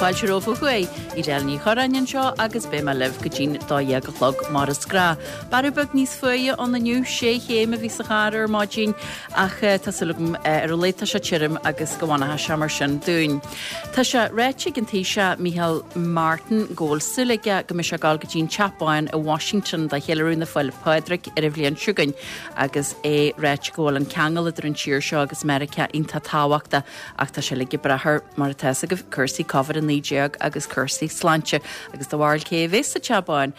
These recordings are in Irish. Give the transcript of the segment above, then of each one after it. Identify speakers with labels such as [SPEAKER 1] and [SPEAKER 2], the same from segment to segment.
[SPEAKER 1] Fáilte romhaibh ó thuaidh. Edel Ní Chorráin anseo agus beidh mé libh go dtí'n 12 a chlog mar is gnáth. Bearradh beag níos fuaire ann inniu, sé chéim a bhí sa charr ar maidin ach tá súil agam ar a laghad tá sé tirim agus go bhfanfaidh sé mar sin dúinn. Tá sé ráite ag an Taoiseach Micheál Martin go bhfuil súil aige go mbeidh sé ag dul go dtí an Teach Bán i Washington do cheiliúradh na Féile Pádraig ar an bhliain seo chugainn agus é ráite go bhfuil an ceangal idir an tír seo agus Meiriceá iontach tábhachtach ach tá sé uilig ag brath ar, mar atá fhios agaibh, cúrsaí Covid-19 agus cúrsaí sláinte agus do bharúil cé a bheas sa Teach Bán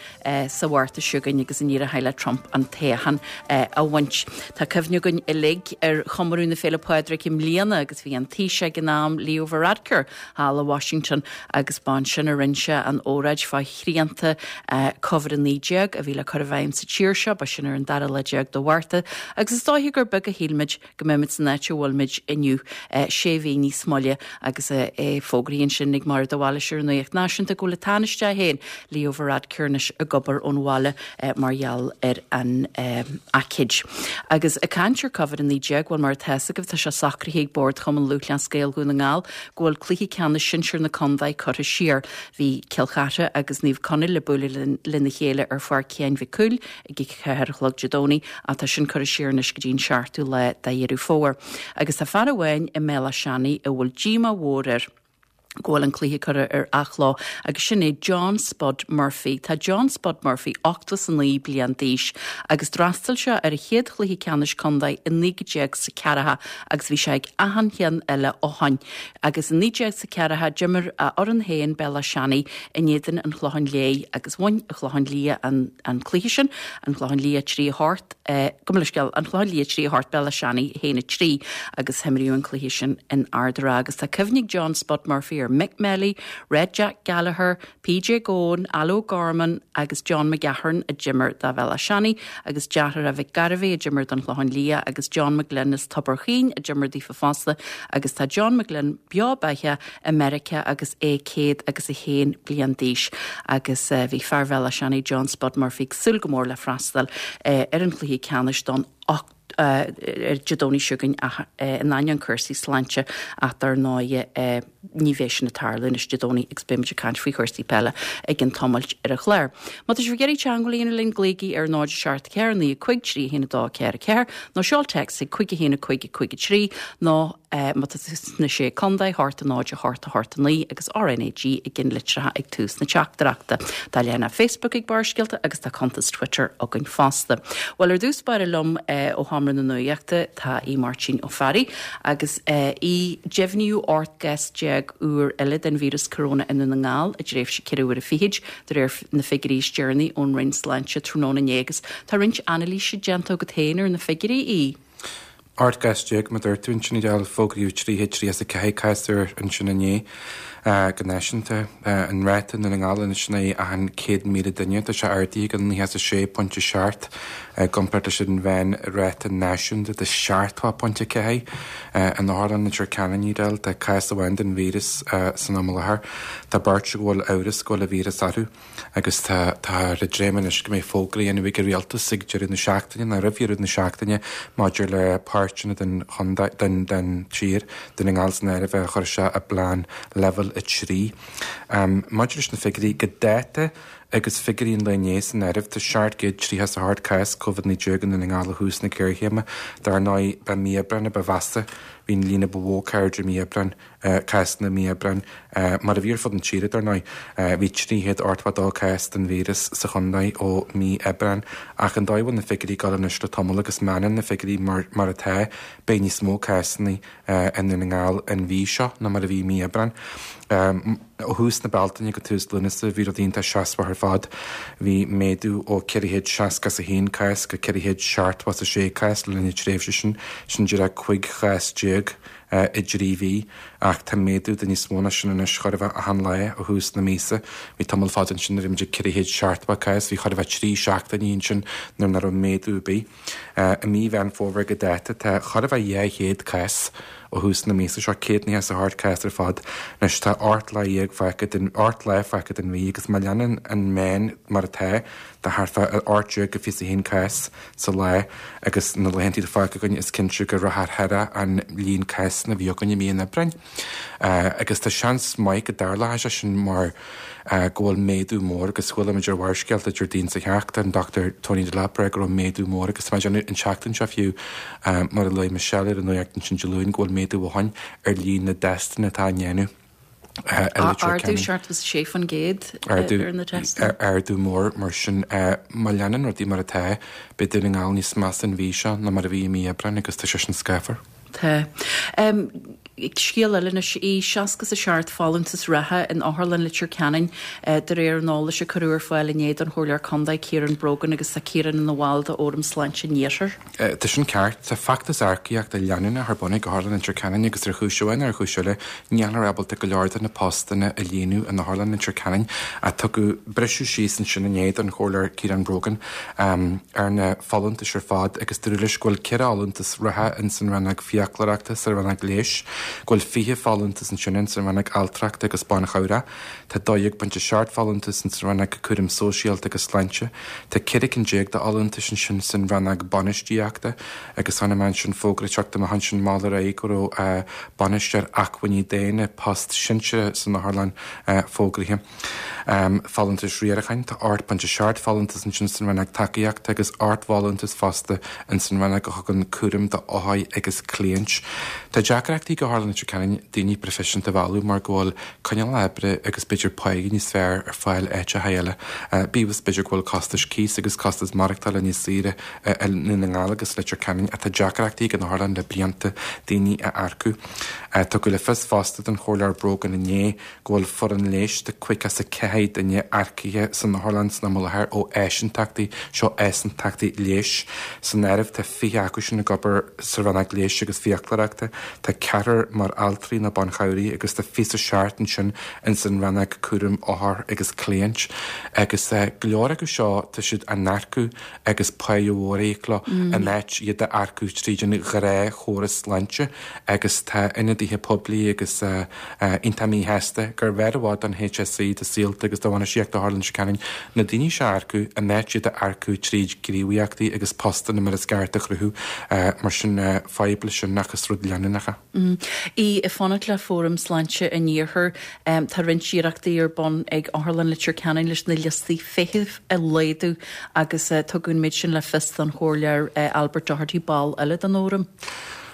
[SPEAKER 1] sa Mhárta seo chugainn agus an éireoidh le Trump an toghchán a bhaint. Tá cuimhne againn uilig ar chomóradh na Féile Pádraig i mbliana agus bhí an Taoiseach ag an am, Leo Varadkar, thall i Washington agus b'ansin a rinne sé an óráid fá shrianta Covid-19 a bhí le cur i bhfeidhm sa tír seo, ba sin ar an dara lá déag de Mhárta agus is dóiche gur beag a shíl muid go mbeimid san áit a bhfuilimid inniu, sé mhí níos moille agus é fógraithe ansin ag Máire de Bhailís ar an Nuacht Náisiúnta go bhfuil an Tánaiste é féin, Leo Varadkar anois ag obair ón bhaile mar gheall ar an aicíd. Agus ag caint ar Covid-19, bhuel mar atá fhios agaibh tá sé socraithe ag Bord Chumann Lúthchleas Gael Dhún na nGall go bhfuil cluiche ceannais sinsir na contae curtha siar. Bhí Cill Chartha agus Naomh Conaill le bualadh lena chéile ar Pháirc Sheáin Mhic Cumhaill ag a 4 a chlog Dé Domhnaigh ach tá sin curtha siar anois go dtí an seachtú lá de Dheireadh Fómhair. Agus tá fear amháin i mBéal Átha Seanaidh a bhfuil díomá mhór air go bhfuil an cluiche curtha ar athló agus sin é John Spud Murphy. Tá John Spud Murphy 89 bliain d'aois agus d'fhreastail sé ar a chéad chluiche ceannais contae i 1940 agus bhí sé ag achan cheann eile ó shoin. Agus i 1940 d'imir a fhoireann féin Béal Átha Seanaidh in éadan an Chlocháin Léith agus bhain an Clochán Liath an an cluiche sin, an Clochán Liath 3 8, gabh mo leithscéal, an Clochán Liath 3 8, Béal Átha Seanaidh 1 3 agus himríodh an cluiche sin in Ard an Rátha agus tá cuimhne ag John Spud Murphy ar Mick Melly, Red Jack Gallagher, PJ Goan, Al O'Gorman agus John McGahern a d'imir do Bhéal Átha Seanaidh agus deartháireacha Mhick Garvey a d'imir don Chlochán Liath agus John McGlynn as Tobar Chaoin a d'imir daofa fosta agus tá John McGlynn beo beathach i Meiriceá agus é 101 bliain d'aois agus bhí fear Bhéal Átha Seanaidh John Spud Murphy ag súil go mór le freastal ar an chluiche ceannais don ar Dé Domhnaigh seo chugainn ach in ainneoin cúrsaí sláinte ach dar ndóigh ní bheidh sin ag tarlú anois Dé Domhnaigh agus beidh muid ag caint faoi chúrsaí peile i gcionn tamaill ar an chlár. Má tá sibh ag iarraidh teagmháil a dhéanamh linn glaoigí ar 0 7 4 9 5 3 1 2 4 4 nó seol téacs ag 5 1 5 5 3 nó Má tá tú sna Sé Contae, 8 0 8 8 9 agus RnaG i gceannlitreacha ag tús na teachtaireachta. Tá leathanach Facebook ag Barrscéalta agus tá cuntas Twitter againn fosta. Bhuel, ar dtús báire liom ó Sheomra na Nuachta tá Aodh Máirtín Ó Fearraigh agus Aodh, deimhníodh 18 gcás úr eile den víreas coróna i nDún na nGall i dtréimhse ceithre huaire fichid, de réir na figiúirí is deireanaí ón Roinn Sláinte tráthnóna inné agus tá roinnt anailíse déanta agat féin ar na figiúirí, Aodh.
[SPEAKER 2] 18 gcás, mar a dúirt tú ansin, Edel, fógraíodh 334 cás úr ansin inné go náisiúnta. An ráta i nDún na nGall anois in aghaidh achan 100,000 duine, tá sé ardaithe go 96.7 i gcomparáid leis an mheánráta náisiúnta de 70.4. In Otharlann Leitir Ceanainn, Edel, tá cás amháin den víreas san am i láthair. Tá beirt go bhfuil amhras go bhfuil an víreas orthu. Agus tá táthar ag dréim anois go mbeidh fógra á dhéanamh ag an Rialtas ag deireadh na seachtaine, nó roimh dheireadh na seachtaine, maidir le páirteanna den chontae, den, den tír, Dún na nGall san áireamh, a chur isteach i bplean Leibhéal 3. Maidir leis na figiúirí, go dáta agus figiúirí an lae inné san áireamh, tá 738 cás Covid-19 i Ndún na nGall ó thús na géarchéime. Dar ndóigh, ba mí Aibreáin a ba mheasa, bhí an líon a ba mhó cairde i mí Aibreáin. cásanna i mí Aibreáin, mar a bhí ar fud na tíre, dar ndóigh. Bhí 382 cás den víreas sa chontae ó mí Aibreáin, ach an dóigh a bhfuil na figiúirí ag dul anois le tamall agus má fhanann na figiúirí mar atá, beidh níos mó cásanna i nDún na nGall an mhí seo ná mar a bhí i mí Aibreáin. Ó thús na Bealtaine go tús Lúnasa bhí rudaí iontach seasmhach ar fad. Bhí méadú ó 461 cás go 476 cás le linn na tréimhse sin, sin díreach 15 chás i dtrí mhí, ach tá méadú de níos mó ná sin anois chóir a bheith achan lá ó thús na míosa. Bhí tamall fada ansin nuair a bhí muid ag 470 cás, bhí chóir a bheith trí seachtainí ansin nuair nach raibh méadú ar bith. I mí Mheán Fómhair go dáta tá chóir a bheith 200 cás ó thús na míosa seo, 198 cás ar fad. Anois tá 18 lá fágtha den, 8 lá fágtha den mhí agus má leanann an meán mar atá, tá thart fá 18 go 21 cás sa lá agus na laethanta atá fágtha againn is cinnte go rachaidh thar an líon cás. cásanna a bhí againn i mí an Aibreáin. Agus tá seans maith go dtarlóidh sé sin mar go bhfuil méadú mór agus chuala muid ar Bharrscéalta Déardaoin seo caite an Dr Tony Delap ag rá go raibh méadú mór agus tá mé ag déanamh an tseachtain seo fiú mar a luaigh Michelle ar an nuacht ansin Dé Luain go bhfuil méadú ó shoin ar líon na dtestanna atá á ndéanamh i Leitir
[SPEAKER 1] Ardú 76% ar na
[SPEAKER 2] testanna. Ardú mór mar sin. Má leanann rudaí mar atá, beidh Dún na nGall níos measa an mhí seo ná mar a bhí i mí Aibreáin agus tá sé sin scáfar.
[SPEAKER 1] Tá. Scéal eile anois í, 67 folúntas reatha in Otharlann Leitir Ceanainn de réir an eolais a cuireadh ar fáil inné don Chomhairleoir Contae Ciarán Brogan agus tá Ciarán ina bhall de Fhóram Sláinte an Iarthair.
[SPEAKER 2] Tá sin ceart. Tá feachtas earcaíochta leanúnach ar bun ag Otharlann Leitir Ceanainn agus ar chúis amháin nó ar chúis eile nílthear ábalta go leor de na postanna a líonadh in Otharlann Leitir Ceanainn. Tugadh briseadh síos ansin inné don Chomhairleoir Ciarán Brogan ar na folúntais ar fad agus dúradh leis go bhfuil 4 fholúntas reatha ins an rannóg fiaclóireachta sa rannóg leighis, go bhfuil 20 folúntas ansin ins an rannóg altrachta agus banchabhrach, tá 12.7 folúntas ins an rannóg cúram sóisialta agus sláinte, tá 14 cinn de fholúntais ansin san rannóg bainistíochta agus chonaic mé ansin fógra ag teacht amach ansin mall ar aghaidh go raibh bainisteoir acmhainní daonna, post sinsearach san otharlann, fógraithe. Folúntais riaracháin, tá 8.7 folúntas ansin san rannóg tacaíochta agus 8 bhfolúntas fosta ins an rannóg a thugann cúram do othair agus cliaint. Tá deacrachtaí ag Otharlann Leitir Ceanainn daoine proifisiúnta a mhealladh mar go bhfuil coinníollacha oibre agus b'fhéidir páighe níos fearr ar fáil áiteacha eile. Bíodh is b'fhéidir go bhfuil costais cíos agus costas maireachtála níos saoire i nDún na nGall agus Leitir Ceanainn ach tá deacrachtaí ag an otharlann le blianta daoine a earcú. Tugadh le fios fosta don Chomhairleoir Brogan inné go bhfuil foireann leighis de 54 duine earcaithe san otharlann san am i láthair ó áisíntachtaí, seo áisíntachtaí leighis. San áireamh tá 20 acu sin ag obair sa rannóg leighis agus fiaclóireachta, tá ceathrar mar altraí nó banchabhraí agus tá 27 ansin ins an rannóg cúraim othar agus cliaint. Agus go leor acu seo tá siad á n-earcú agus páighe mhór á íoc leo in áit iad a earcú tríd an ghnáthchóras sláinte agus tá ionadaithe poiblí agus iontach míshásta gurbh fhearr i bhfad don HSE, do Saolta agus do bhainistíocht Otharlann Leitir Ceanainn na daoine seo a earcú in áit iad a earcú tríd gníomhaíochtaí agus postanna mar is ceart a chruthú. Mar sin fadhb leis sin ach is rud leanúnach
[SPEAKER 1] é. Í ag fanacht le Fóram Sláinte an Iarthair, tá roinnt iarrachtaí ar bun ag Otharlann Leitir Ceanainn leis na liostaí feithimh a laghdú agus tugadh an méid sin le fios don Chomhairleoir Albert Doherty, ball eile den Fhóram.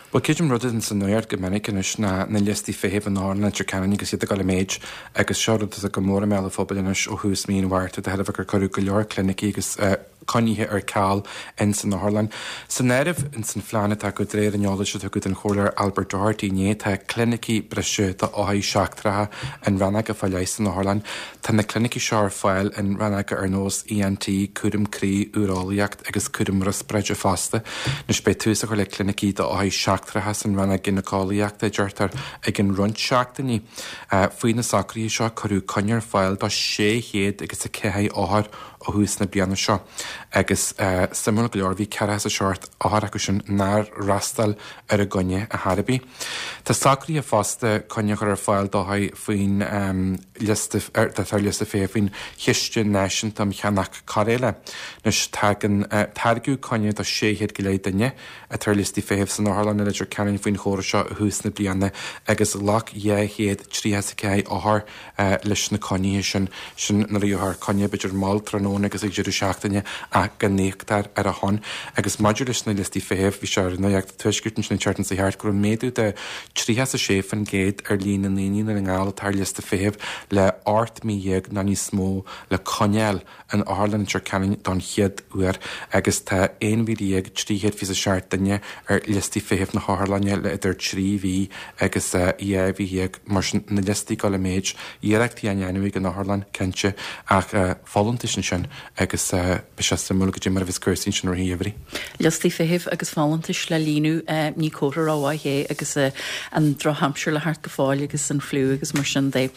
[SPEAKER 2] Bhuel, creidim rud atá sa nuacht go minic anois ná na liostaí feithimh in Otharlann Leitir Ceanainn agus iad ag dul i méid agus seo rud atá go mór i mbéal an phobail anois ó thús mí an Mhárta de thairbhe gur cuireadh go leor clinicí agus coinnithe ar ceal ins an otharlann. San áireamh ins an phlean atá acu, de réir an eolais a tugadh don Chomhairleoir Albert Doherty inné, tá clinicí breise do othair seachtracha in rannóga fá leith san otharlann. Tá na clinicí seo ar fáil in rannóga ar nós ENT, cúram croí, úireolaíocht agus cúram riospráide fosta. Anois beidh tús á chur le clinicí do othair seachtracha san rannóg gínéiceolaíochta, a deirtear, i gcionn roinnt seachtainí. Faoi na socruithe seo cuireadh coinne ar fáil do 600 agus 4 othar ó thús na bliana seo agus suimiúil go leor bhí 47 othar acu sin nár fhreastail ar a gcoinne ar chor ar bith. Tá socraithe fosta coinne a chur ar fáil d'othair faoin liosta atá ar liosta feithimh faoin Chiste Náisiúnta um Cheannach Cóireála. Anois tagann tairgeadh coinne do 600 go leith duine atá ar liostaí feithimh san otharlann i Leitir Ceanainn faoin chóras seo i thús na bliana agus ghlac 234 othar leis na coinnithe sin, sin nuair a gheofar coinne, b'fhéidir mall tráthnóna agus ag deireadh seachtaine ach go n-íoctar ar a shon. Agus maidir leis na liostaí feithimh, bhí sé ar Nuacht an Tuaiscirt ansin an tseachtain seo thart go raibh méadú de 36% ar líon na ndaoine i nDún na nGall atá ar liosta feithimh le 18 mí nó níos mó le coinneáil in Otharlann Leitir Ceanainn don chéad uair agus tá 11,327 duine ar liostaí feithimh na hotharlainne le idir 3 mhí agus 12 mhí. Mar sin, na liostaí ag dul i méid, iarrachtaí á ndéanamh ag an otharlann, cinnte, ach folúntais ansin agus beidh sé suimiúil goidé mar a bheas cúrsaí ansin i rith an gheimhridh.
[SPEAKER 1] Liostaí feithimh agus folúntais le líonadh, ní comhartha rómhaith é agus an drochaimsir le theacht go fóill agus an fliú agus mar sin de.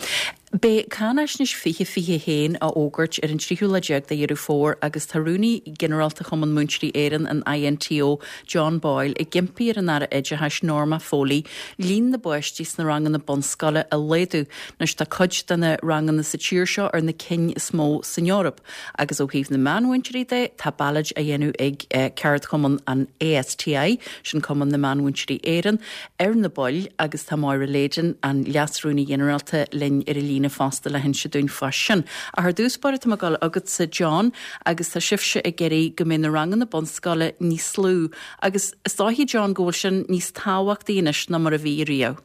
[SPEAKER 1] Beidh Cáinaisnéis 2021 á fhógairt ar an tríú lá déag de Dheireadh Fómhair agus tá Rúnaí Ginearálta Chumann Múinteoirí Éireann, an INTO, John Boyle, ag impí ar an Aire Oideachais, Norma Foley, líon na bpáistí sna ranganna bunscoile a laghdú. Anois tá cuid de na ranganna sa tír seo ar na cinn is mó san Eoraip. Agus ó thaobh na meánmhúinteoirí de, tá ballóid á dhéanamh ag ceardchumann an ASTI, sin Cumann na Meánmhúinteoirí Éireann, ar na baill agus tá Máire Leyden, an Leas-Rúnaí Ginearálta, linn ar an líne fosta le hinse dúinn fá sin. Ach ar dtús báire tá mé ag dul chugatsa John agus tá sibhse ag iarraidh go mbeidh na ranganna bunscoile níos lú agus is dóiche John go bhfuil sin níos tábhachtaí anois ná mar a bhí riamh.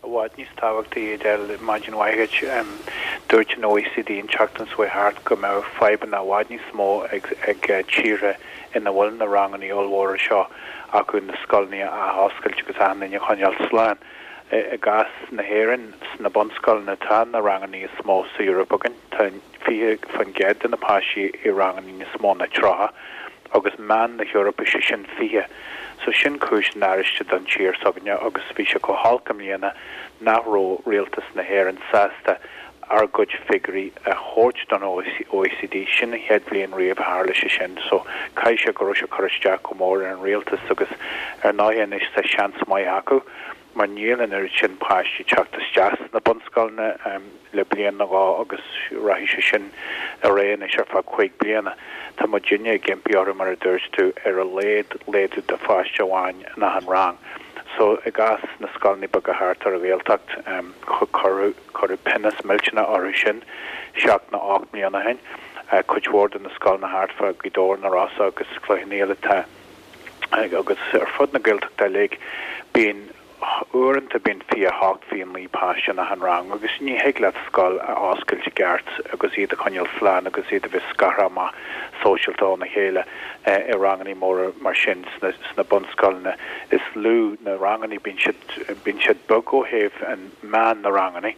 [SPEAKER 3] I bhfad níos tábhachtaí, Edel, maidin mhaith dhuit. Dúirt an OECD an tseachtain seo chuaigh thart go mbeadh fadhbanna i bhfad níos mó ag tíortha ina bhfuil na ranganna ollmhóra seo acu na scoileanna a athoscailt agus achan duine a choinneáil slán. I gcás na hÉireann, sna bunscoileanna tá na ranganna is mó sa Eoraip againn. Tá 20% de na páistí i ranganna níos mó ná 30 agus meán na hEorpa, sé sin 20. So sin cúis náire don tír s'againne agus bhí sé chomh holc i mbliana nach raibh rialtas na hÉireann sásta ár gcuid figiúirí a thabhairt don OECD. Sin an chéad bhliain riamh a tharla sé sin. So caithfidh sé go raibh sé ag cur isteach go mór ar an rialtas agus ar ndóigh anois tá seans maith acu mar níl an oiread sin páistí ag teacht isteach sna bunscoileanna le bliain nó dhó agus rachaidh sé sin ar aghaidh anois ar feadh chúig bliana. Tá muidinne ag impí orthu, mar a dúirt tú, ar a laghad laghdú de pháiste amháin in achan rang. So, i gcás na scoileanna beaga thart ar an Ghaeltacht, cuireadh pionós millteanach orthu sin seacht nó ocht mbliana ó shin. Cuid mhór de na scoileanna thart fá Ghaoth Dobhair, Na Rosa agus Cloich Cheann Fhaola, tá. agus ar fud na Gaeltachta uilig, bíonn, uaireanta bíonn 28, 29 páiste in achan rang agus ní thig leat scoil a oscailt i gceart agus iad a choinneáil slán agus iad a bheith scartha amach sóisialta óna chéile i ranganna móra mar sin sna, sna bunscoileanna is lú na ranganna, bíonn siad, bíonn siad beag ó thaobh an meán na ranganna,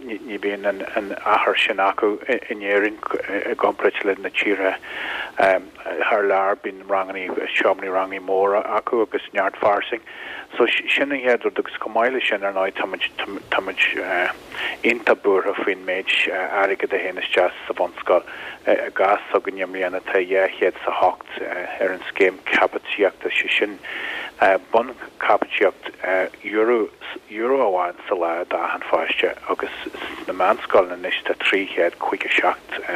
[SPEAKER 3] ní bhíonn an achar sin acu in Éirinn i gcomparáid le na tíortha thar lear, bíonn ranganna, seomraí ranga móra acu agus neart fairsing. So sin an chéad rud agus chomh maith le sin ar ndóigh tá muid, tá muid iontach buartha faoin méid airgead a théann isteach sa bhunscoil. I gcás s'againne i mbliana tá 208 ar an scéim caipitíochta, sé sin bunchaipitíocht euro, euro amháin sa lá d'achan pháiste agus sna meánscoileanna anois tá €357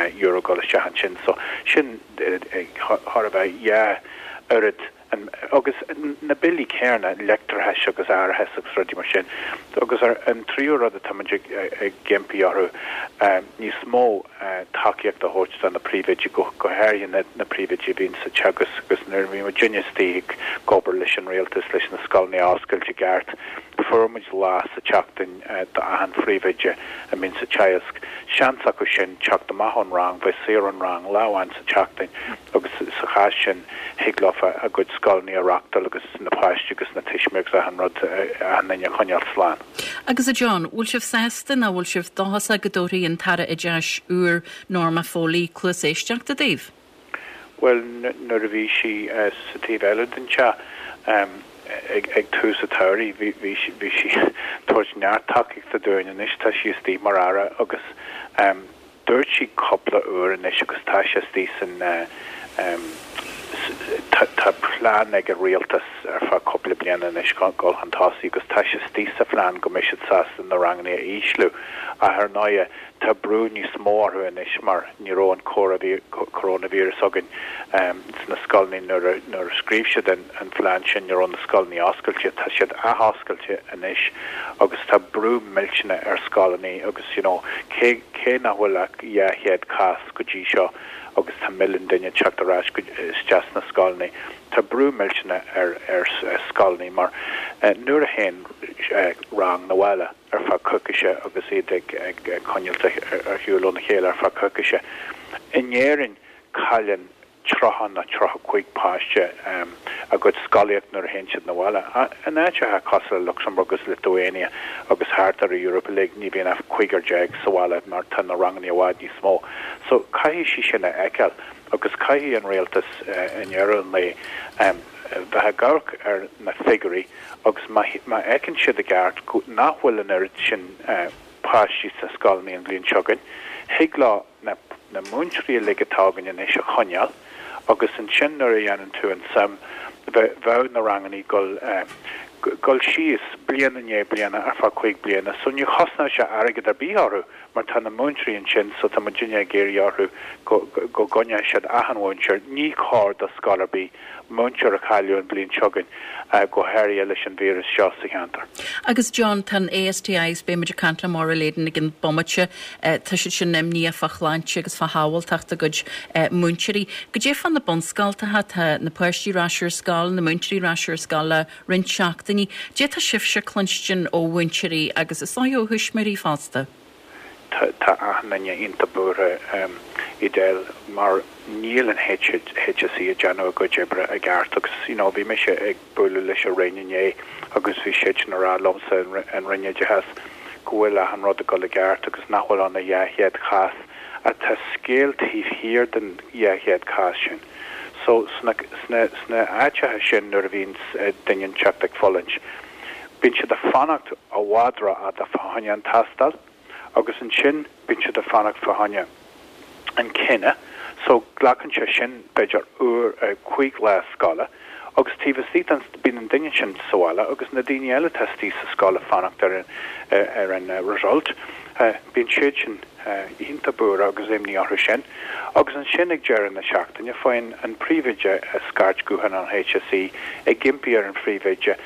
[SPEAKER 3] ag dul isteach ansin so sin chóir a bheith dhá oiread an agus na billí céanna leictreachais agus árachais agus rudaí mar sin agus an tríú rud atá muid ag ag impí orthu níos mó tacaíocht a thabhairt do na príomhoidí, go háirithe na príomhoidí a bhíonn sa teagasc agus nuair a bhí muidinne istigh ag obair leis an rialtas leis na scoileanna a oscailt i gceart, fuair muid lá sa tseachtain d'achan phríomhoide a mbíonn sa teagasc, seans acu sin teacht amach ón rang, bheith saor ón rang lá amháin sa tseachtain agus sa chás sin thig leofa a gcuid scoileanna a reachtáil agus na páistí agus na tuismitheoirí agus achan rud, achan duine a choinneáil slán.
[SPEAKER 1] Agus a John, bhfuil sibh sásta nó bhfuil sibh dóchasach go dtabharfaidh an tAire Oideachais úr Norma Foley cluas éisteachta daoibh?
[SPEAKER 3] Bhuel, nuair a bhí sí sa taobh eile den teach ag tús an tsamhraidh, bhí sí ag tabhairt neart tacaíochta dúinn. Anois tá sí istigh mar Aire agus Dúirt sí cúpla uair anois agus tá sé istigh san tá plean ag an rialtas ar feadh cúpla bliana anois dul chun tosaigh agus tá sé istigh sa phlean go mbeidh siad sásta na ranganna a ísliú ach ar ndóighe tá brú níos mó orthu anois mar ní raibh an coronavirus againn sna scoileanna nuair a nuair a scríobh siad an an phlean sin ní raibh na scoileanna oscailte tá siad athoscailte anois agus tá brú millteanach ar scoileanna agus you know cé Cé nach bhfuil ach 200 cás go dtí seo agus tá milliún duine ag teacht ar ais isteach sna scoileanna, tá brú millteanach ar scoileanna mar nuair a théann rang 'na bhaile ar feadh coicíse agus iad ag coinneáilt ar shiúl óna chéile ar feadh coicíse, in Éirinn cailleann 30 nó 35 páiste a gcuid scolaíocht nuair a théann siad 'na bhaile. In áiteacha cosúil le Lucsamburg agus Lithuania agus thart ar an Eoraip uilig ní bhíonn ach cúigear déag sa bhaile mar tá na ranganna i bhfad níos mó. So caithfidh sí sin a fheiceáil agus caithfidh an rialtas i ndeireadh an lae bheith ag amharc ar na figiúirí agus má fheiceann siad i gceart nach bhfuil an oiread sin. páistí sna scoileanna an bhliain seo chugainn. Thig leo na na múinteoirí uilig atá againn anois a choinneáil agus ansin nuair a dhéanann tú an suim, bheadh na ranganna ag dul dul síos bliain i ndiaidh bliana ar feadh 5 bliana. So ní chosnódh sé airgead ar bith orthu mar tá na múinteoirí ansin so tá muidinne ag iarraidh orthu go go gcoinneoidh siad achan mhúinteoir. Ní chóir do scoil ar bith múinteoir a chailleadh an bhliain seo chugainn, go háirithe leis an víreas seo sa cheantar.
[SPEAKER 1] Agus John, tá an ASTI, agus beidh muid ag caint le Máire Leyden i gcionn bomaite, tá siad sin imníoch fá shláinte agus fá shábháilteacht a gcuid múinteoirí. Goidé fá na bunscoltacha, tá na páistí ar ais ar scoil, na múinteoirí ar ais ar scoil le roinnt seachtainí. Goidé tá sibhse ag cluinstin ó mhúinteoirí agus is dóigh ó thuismitheoirí fosta?
[SPEAKER 3] Tá achan duine iontach buartha, Edel, mar níl an HSE ag déanamh a gcuid oibre i gceart agus you know bhí mise ag bualadh leis an Roinn inné agus bhí siadsan ag rá liomsa, an Roinn Oideachais, go bhfuil achan rud ag dul i gceart agus nach bhfuil ann ach 200 cás. Ach tá scéal taobh thiar den 200 cás sin. So sna, sna, sna áiteacha sin nuair a bhíonn duine inteacht ag fulaingt, Bíonn siad ag fanacht i bhfad rófhada fá choinne an tástáil agus ansin bíonn siad ag fanacht fá choinne an cinneadh so glacann sé sin b'fhéidir uair, 5 lá scoile agus taobh istigh den, bíonn an duine sin sa bhaile agus na daoine eile atá istigh sa scoil ag fanacht ar an, ar an result, bíonn siad sin iontach buartha agus imní orthu sin. Agus ansin ag deireadh na seachtaine faigheann an príomhoide scairt gutháin ón HSE ag impí ar an phríomhoide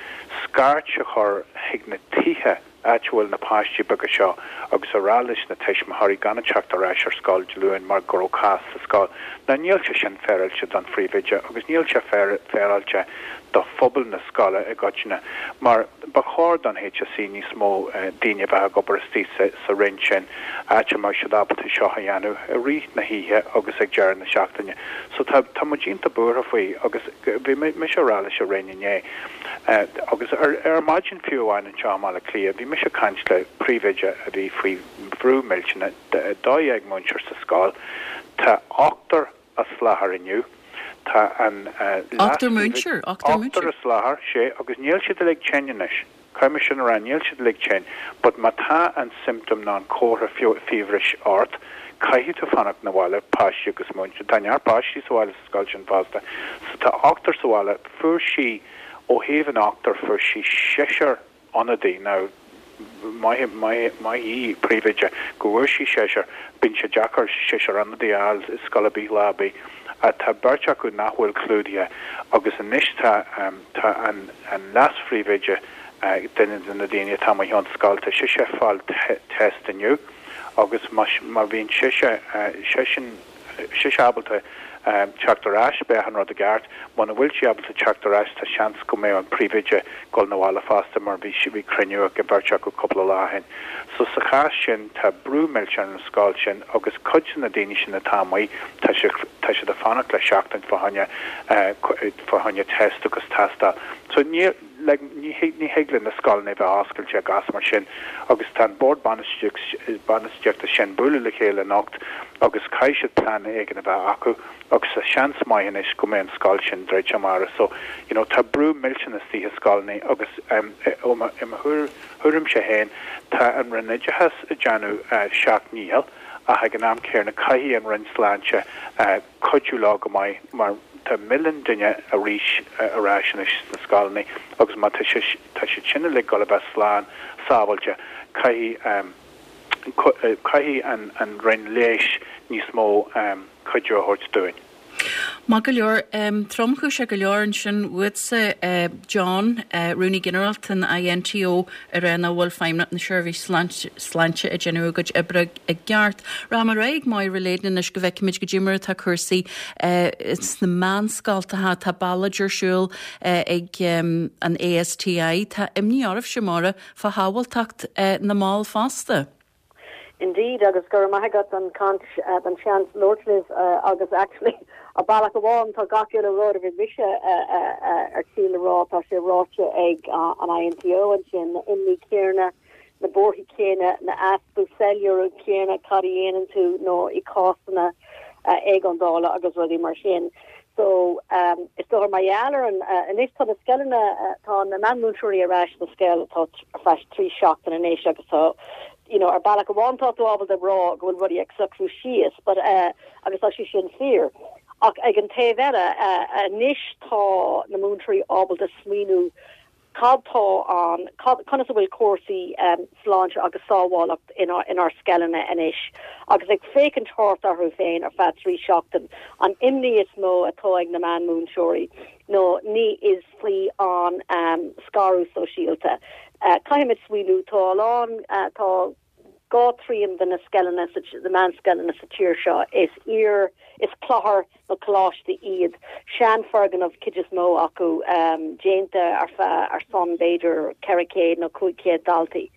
[SPEAKER 3] scairt a chur chuig na tithe áit a bhfuil na páistí beaga seo agus a rá leis na tuismitheoirí gan a teacht ar ais ar scoil Dé Luain mar go raibh cás sa scoil. Now níl sé sin féaráilte don phríomhoide agus níl sé féaráilte do phobal na scoile i gcoitinne mar ba chóir don HSE níos mó daoine a bheith ag obair istigh sa roinn sin áit a mbeadh siad ábalta seo a dhéanamh i rith na hoíche agus ag deireadh na seachtaine. So tá tá muid iontach buartha faoi agus bhí mise a rá leis an Roinn inné agus ar maidin fiú amháin anseo i mBaile Átha Cliath bhí mise ag caint le príomhoide a bhí faoi bhrú millteanach, 12 múinteoir sa scoil, tá ochtar as láthair inniu, tá an
[SPEAKER 1] Ochtar múinteoir?
[SPEAKER 3] Ochtar as láthair, sea, agus níl siad uilig tinn anois. Caithfidh mé sin a rá, níl siad uilig tinn, but má tá an symptom nó an comhartha fiabhrais ort, caithfidh tú fanacht 'na bhaile, páistí agus múinteoir. Tá neart páistí sa bhaile sa scoil sin fosta. So tá ochtar sa bhaile. Fuair sí, ó thaobh an ochtar, fuair sí seisear ionadaí. Now, maith, maith, maith í, príomhoide, go bhfuair sí seisear. Bíonn sé deacair seisear ionadaí a fháil i scoil ar bith lá ar bith. Ach tá beirt acu nach bhfuil clúdaithe agus anois tá, Tá an leas-phríomhoide, duine de na daoine atá amuigh ón scoil, tá sise ag fáil test inniu agus má bhíonn sise, seisean, sise ábalta teacht ar ais, beidh achan rud i gceart. Muna bhfuil sí ábalta teacht ar ais, tá seans go mbeidh an príomhoide ag dul 'na bhaile fosta mar bhí, bhí cruinniú ag an bheirt acu cúpla lá ó shin. So sa chás sin, tá brú millteach ar an scoil sin agus cuid de na daoine sin atá amuigh, tá siad, tá siad ag fanacht le seachtain fá choinne, fá choinne test agus tástáil. So ní, like, ní thig, ní thig le na scoileanna a bheith oscailte i gcás mar sin agus tá an bord bainistíochta sin bualadh le chéile anocht agus caithfidh siad plean éigin a bheith acu agus tá seans maith anois go mbeidh an scoil sin druidte amárach. So, you know, tá brú millteanach istigh i scoileanna agus ó mo, i mo thuairimse féin, tá an Roinn Oideachais ag déanamh a seacht ndícheall ach ag an am céanna caithfidh an Roinn Sláinte cuidiú leo go maith mar tá milliún duine arís ar ais anois sna scoileanna agus má tá sé tá siad sin uilig ag dul a bheith slán sábháilte caithfidh caithfidh an an Roinn Leighis níos mó cuidiú a thabhairt dúinn.
[SPEAKER 1] Maith go leor. Tromchúiseach go leor ansin uatsa, John, Rúnaí Ginearálta an INTO, ag rá nach bhfuil Feidhmeannacht na Seirbhíse Sláinte ag déanamh a gcuid oibre i gceart. Rachaidh mé ar aghaidh ag Máire Leyden anois go bhfeicfimid goidé mar atá cúrsaí sna meánscoltacha. Tá ballóid ar siúl ag an ASTI. Tá imní oraibhse, Máire, fá shábháilteacht na mball fosta.
[SPEAKER 4] Indeed, agus go raibh maith agat don chaint, don seans labhairt libh agus actually ar bealach amháin tá gach uile rud a bhí mise ar tí le rá, tá sé ráite ag an INTO ansin, na imní céanna, na buarthaí céanna, na easpa soiléiriú céanna cad a dhéanann tú nó i cásanna éigeandála agus rudaí mar sin. So, is dócha mar gheall ar an, anois tá na scoileanna, tá na meánmhúinteoirí ar ais sa scoil tá ar feadh 3 seachtain anois agus tá. you know, ar bealach amháin tá tú ábalta rá go bhfuil rudaí ag socrú síos but eh agus tá sé sin fíor. Ach ag an taobh eile eh anois tá na múinteoirí ábalta smaoiniú cad tá an, cad, conas a bhfuil cúrsaí eh sláinte agus sábhálacht inár, inár scoileanna anois agus ag féachaint thart orthu féin ar feadh 3 seachtain, an imní is mó atá ag na meánmhúinteoirí nó ní is faoi an scaradh sóisialta. Caithfimid smaoiniú, tá a lán, tá 2 trian de na scoileanna, na meánscoileanna sa tír seo, is iar, is clochar nó coláiste iad, seanfhoirgneamh cuid is mó acu, déanta ar feadh, ar son b'fhéidir 400 nó 500 daltaí,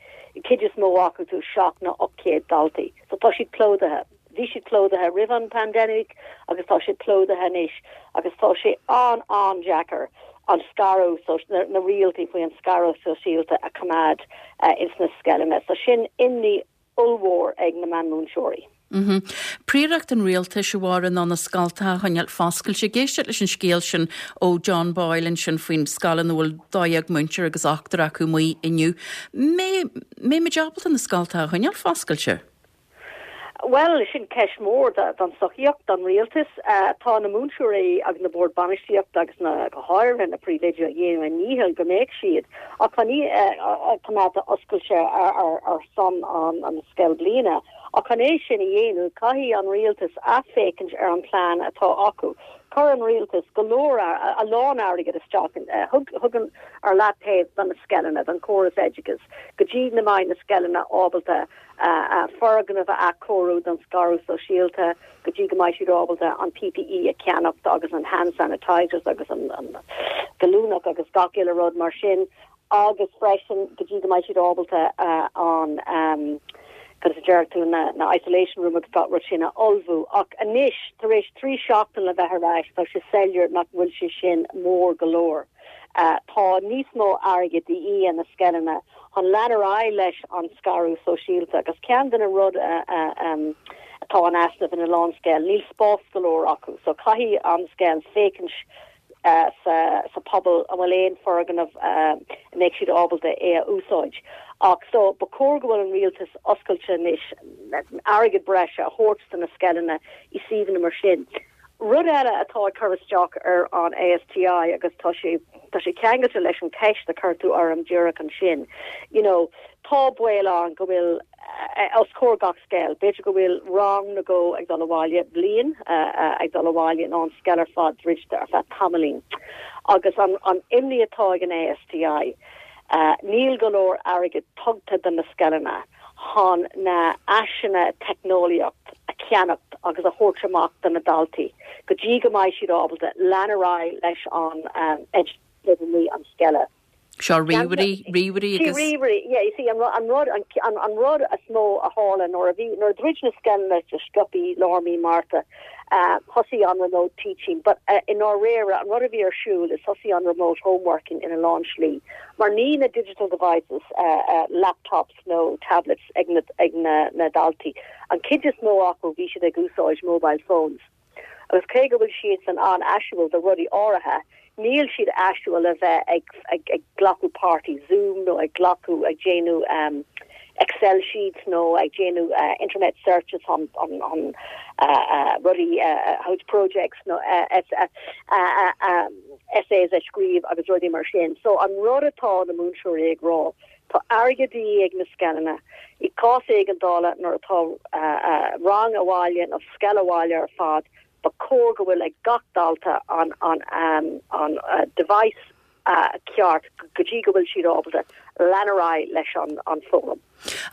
[SPEAKER 4] cuid is mó acu tú 7 nó 800 daltaí. So tá siad plódaithe. Bhí siad plódaithe roimh an pandemic agus tá siad plódaithe anois agus tá sé an-an-deacair an scaradh, na rialtaí faoi an scaradh sóisialta a choimeád ins na scoileanna. So sin imní ollmhór ag na meánmhúinteoirí.
[SPEAKER 1] Príoracht an rialtais, a Mháire, ná na scoltacha a choinneáil foscailte. Ag éisteacht leis an scéal sin ó John Boyle ansin faoin scoil ina bhfuil 12 múinteoir agus ochtar acu amuigh inniu. Mbeidh muid ábalta na scoltacha a choinneáil foscailte?
[SPEAKER 4] Bhuel, sin ceist mhór don tsochaíocht, don rialtas. Tá na múinteoirí agus na boird bainistíochta agus na, go háirithe na príomhoidí ag déanamh a ndícheall go mbeadh siad á coimeád oscailte ar son an scoilbhliana. Ach chun é sin a dhéanamh, caithfidh an rialtas athfhéachaint ar an plean atá acu. Chuir an rialtas go leor, a lán airgid isteach, thug an, ar leataobh do na scoileanna, don chóras oideachais, go dtí go mbeidh na scoileanna ábalta foirgnimh a athchóiriú don scaradh sóisialta go dtí go mbeidh siad ábalta an PPE a cheannacht agus an hand sanitizers agus an gallúnach agus gach uile rud mar sin agus freisin go dtí go mbeidh siad ábalta an conas a deir tú na na isolation room agus gach rud sin a ullmhú. Ach anois tar éis 3 seachtain le bheith ar ais tá sé soiléir nach bhfuil sé sin mór go leor. Tá níos mó airgid de dhíth ar na scoileanna chun lean ar aghaidh leis an scaradh sóisialta agus ceann de na rud atá in easnamh ina lán scoil, níl spás go leor acu so caithfidh an scoil féachaint sa pobal an bhfuil aon foirgneamh a mbeidh siad ábalta é a úsáid. Ach so ba chóir go bhfuil an rialtas oscailte anois airgead breise a thabhairt do na scoileanna i suíomhanna mar sin. Rud eile atá ag cur isteach ar an ASTI agus tá sé tá sé ceangailte leis an cheist a chuir tú orm díreach ansin, you know, tá baol ann go bhfuil os comhair gach scoil, b'fhéidir go bhfuil rang nó dhó ag dul abhaile, bliain ag dul abhaile nó an scoil ar fad druidte ar feadh tamaillín. Agus an an imní atá ag an ASTI, níl go leor airgid tugtha do na scoileanna. chun na áiseanna teicneolaíocht a cheannacht agus a thabhairt amach do na daltaí go dtí go mbeidh siad ábalta lean ar aghaidh leis an oideachas an scoile.
[SPEAKER 1] Seo ríomhairí, ríomhairí
[SPEAKER 4] agus. Sí, ríomhairí, yeah, you see, an rud, an rud is mó a tharla nuair a bhí, nuair a dhruid na scoileanna go sciobtha lár mí Márta, thosaigh an remote teaching, but i ndáiríre, an rud a bhí ar siúl is thosaigh an remote homeworking ina lán slí, mar ní na digital devices, laptops nó tablets ag na ag na na daltaí. An chuid is mó acu bhí siad ag úsáid mobile phones. Agus cé go bhfuil siadsan an-áisiúil do rudaí áirithe, níl siad áisiúil le bheith ag ag ag glacadh páirt i Zoom nó ag glacadh ag déanamh Excel sheets nó ag déanamh internet searches on on on rudaí house projects nó essays a scríobh agus rudaí mar sin. So an rud atá na múinteoirí ag rá, tá airgead de dhíth ag na scoileanna i gcás éigeandála nuair atá rang abhaile nó scoil abhaile ar fad, Ba chóir go bhfuil ag gach dalta an an device ceart go dtí go bhfuil siad ábalta lean ar aghaidh leis an foghlaim.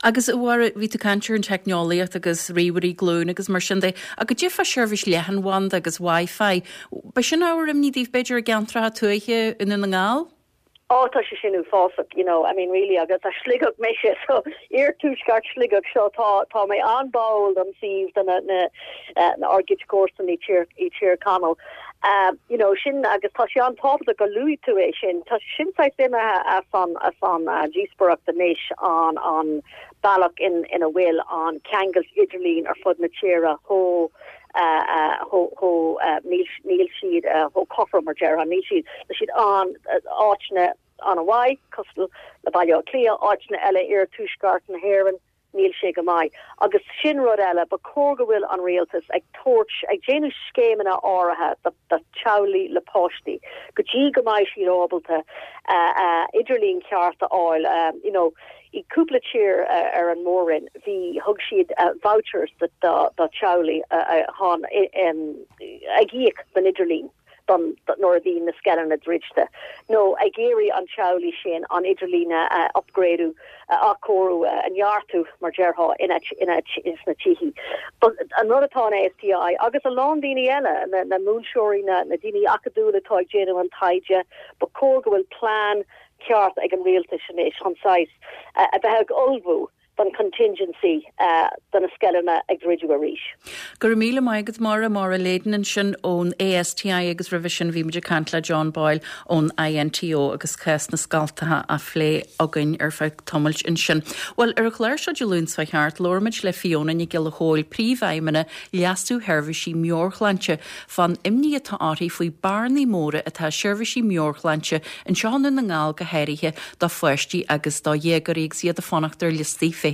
[SPEAKER 1] Agus a Mháire, bhí tú ag caint ar an teicneolaíocht agus ríomhairí glúine agus mar sin de, ach goidé fá seirbhís leathanbhanda agus Wi-Fi, ba sin ábhar imní daoibh b'fhéidir i gceantracha tuaithe i nDún na nGall?
[SPEAKER 4] Oh tá sé sin uafásach, you know, I mean really agus as Sligeach mise so iarthuaisceart Sligeach so tá tá mé an-báúil don suíomh do na na na ár gcuid comharsana i Tír i Tír Chonaill. Um, you know, sin agus tá sé an-tábhachtach gur luaigh tú é sin. Tá sé sin saghas imithe as an as an uh, díospóireacht anois an an bealach in ina bhfuil an ceangal idirlín ar fud na tíre chomh chomh níl siad chomh cothrom mar déarfá, níl siad, tá siad an áiteanna an-mhaith, cosúil le Baile Átha Cliath, áiteanna eile iarthuaisceart na hÉireann. Níl sé go maith. Agus sin rud eile, ba chóir go bhfuil an rialtas ag tabhairt, ag déanamh scéimeanna áirithe do do teaghlaigh le páistí, go dtí go mbeidh siad ábalta idirlíon ceart a fháil. You know, i cúpla tír ar an mór-roinn, bhí, thug siad vouchers do do teaghlaigh chun ag íoc don idirlíon. don nuair a bhí na scoileanna druidte, nó ag iarraidh an teaghlaigh sin an idirlíon a upgradeú, a athchóiriú, a neartú, mar déarfá, ina ina sna tithe. But an rud atá an ASTI agus a lán daoine eile, na na múinteoirí, na na daoine acadúla atá ag déanamh an taighde, ba chóir go bhfuil plean ceart ag an rialtas anois chun saghas a bheith ag ullmhú don contingency do na scoileanna ag druidiú arís.
[SPEAKER 1] Go raibh míle maith agat Máire, Máire Leyden ansin ón ASTI agus roimhe sin bhí muid ag caint le John Boyle ón INTO agus cás na scoltacha á phlé againn ar feadh tamaill ansin. Bhuel, ar an chlár seo Dé Luain seo thart, labhair muid le Fiona Nic Giolla Chóill, Príomhfheidhmeannach Leasú Sheirbhísí Meabhairshláinte, fán imní atá uirthi faoi bearnaí móra atá i seirbhísí meabhairshláinte anseo i nDún na nGall go háirithe do pháistí agus do dhéagóirí agus iad ag fanacht ar liostaí feithimh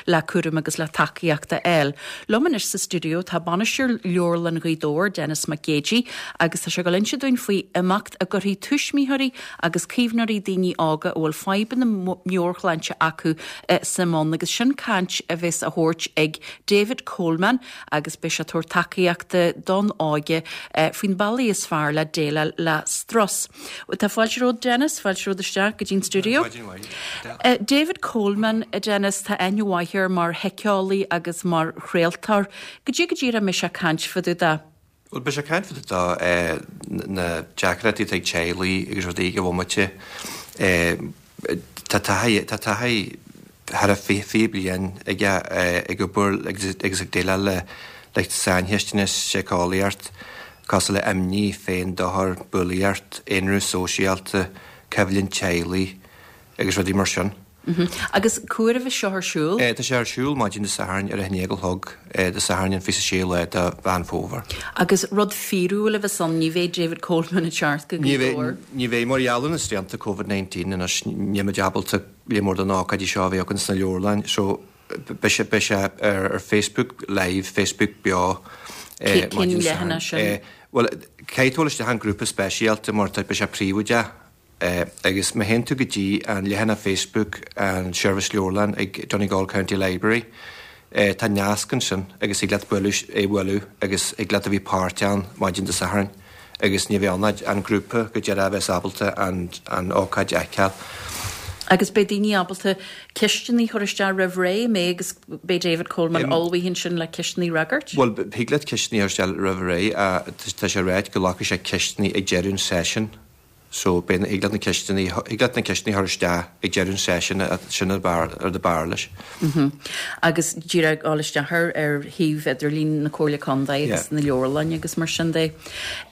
[SPEAKER 1] le cúram agus le tacaíocht a fháil. Liom anois sa stiúideo tá Bainisteoir Leabharlann Ghaoth Dobhair, Denis Mac Géidigh, agus tá sé ag dul inse dúinn faoi imeacht a gcuirfidh tuismitheoirí agus caomhnóirí daoine óga a bhfuil fadhbanna meabhairshláinte acu suim ann agus sin caint a bheas á thabhairt ag David Coleman agus beidh sé ag tabhairt tacaíochta don óige faoin bealaí is fearr le déileáil le strus. Tá fáilte romhat Denis, fáilte romhat isteach go dtí'n stiúideo. David Coleman, Denis, tá aithne mhaith air mar shíceolaí agus mar chraoltóir. Goidé go díreach a mbeidh sé ag caint fá dtaobh de?
[SPEAKER 5] Bhuel, beidh sé ag caint fá dtaobh de na deacrachtaí atá ag teaghlaigh agus rudaí ag an bhomaite. Tá taithí, tá taithí thar a 20 bliain aige ag obair agus ag déileáil le le saincheisteanna síceolaíocht cosúil le imní, féin-dochar, bulaíocht, aonrú sóisialta, coimhlint teaghlaigh agus rudaí mar sin.
[SPEAKER 1] Agus cá huair a bheas seo ar siúl?
[SPEAKER 5] Tá sé ar siúl maidin Dé Sathairn ar a haon déag a chlog, Dé Sathairn an 26ú lá de Mheán Fómhair.
[SPEAKER 1] Agus rud fíorúil a bheas ann, ní bheidh David Coleman ag teacht go Gaoth Dobhair?
[SPEAKER 5] Ní bheidh, mar gheall ar na srianta Covid 19 anois níl muid ábalta lear mór de na hócáidí seo a bheith againn sna leabharlann so beidh sé beidh sé ar Facebook live, Facebook beo
[SPEAKER 1] maidin Dé Sathairn. Cén leathanach sin?
[SPEAKER 5] Bhuel, caithfidh tú dul isteach an grúpa speisialta mar tá beidh sé príobháideach. Agus má théann tú go dtí an leathanach Facebook an Seirbhís Leabharlann ag Donegal County Library, tá nasc ansin agus thig leat bualadh, é a bhualadh agus thig leat a bheith páirteach ann maidin Dé Sathairn agus ní bheidh ann ach an grúpa go deireadh a bheas ábalta an an ócáid a fheiceáil.
[SPEAKER 1] Agus beidh daoine ábalta ceisteanna a chur isteach roimh ré, an mbeidh agus beidh David Coleman ullmhaithe ansin le ceisteanna a fhreagairt?
[SPEAKER 5] Bhuel, thig leat ceisteanna a chur isteach roimh ré. Tá sé ráite go nglacfaidh sé ceisteanna ag deireadh an seisiúin. So, beidh na, thig leat na ceisteanna, thig leat na ceisteanna a chur isteach ag deireadh an seisiúin, sin an rud ab fhearr leis.
[SPEAKER 1] Mhm. Agus díreach dul isteach ar, ar shuíomh idirlín na Comhairle Contae agus na leabharlainne agus mar sin de.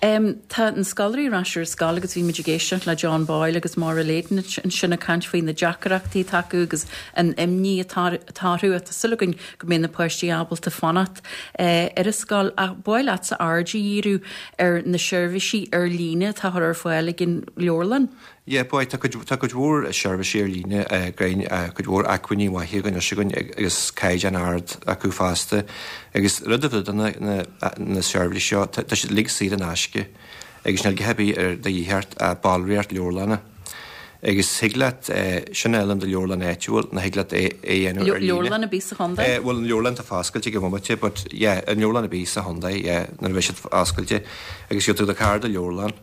[SPEAKER 1] Em, tá na scoláirí ar ais ar scoil agus bhí muid ag éisteacht le John Boyle agus Máire Leyden ansin ag caint faoi na deacrachtaí atá acu agus an imní atá, atá orthu. Tá súil againn go mbeidh na páistí ábalta fanacht ar an scoil ach ba mhaith leatsa aird a dhíriú ar na seirbhísí ar líne atá á chur ar fáil ag an leabharlann.
[SPEAKER 5] Yeah, boy, tá cuid, tá cuid mhór seirbhísí ar líne againn, cuid mhór acmhainní maithe againn anois againn agus caighdeán ard acu fosta. Agus rud a bheadh do na, na, na seirbhísí seo, tá, tá siad uilig saor in aisce agus níl a dhath ar bith ar de dhíth ort ach ballraíocht leabharlainne. Agus thig leat sin a fháil in do leabharlann áitiúil nó thig leat é a dhéanamh ar líne.
[SPEAKER 1] Leabharlann ar bith sa chontae?
[SPEAKER 5] Bhuel, an leabharlann atá foscailte ag an bhomaite, but yeah, an leabharlann ar bith sa chontae, yeah, nuair a bheidh siad oscailte. Agus gheobhaidh tú do cárta leabharlann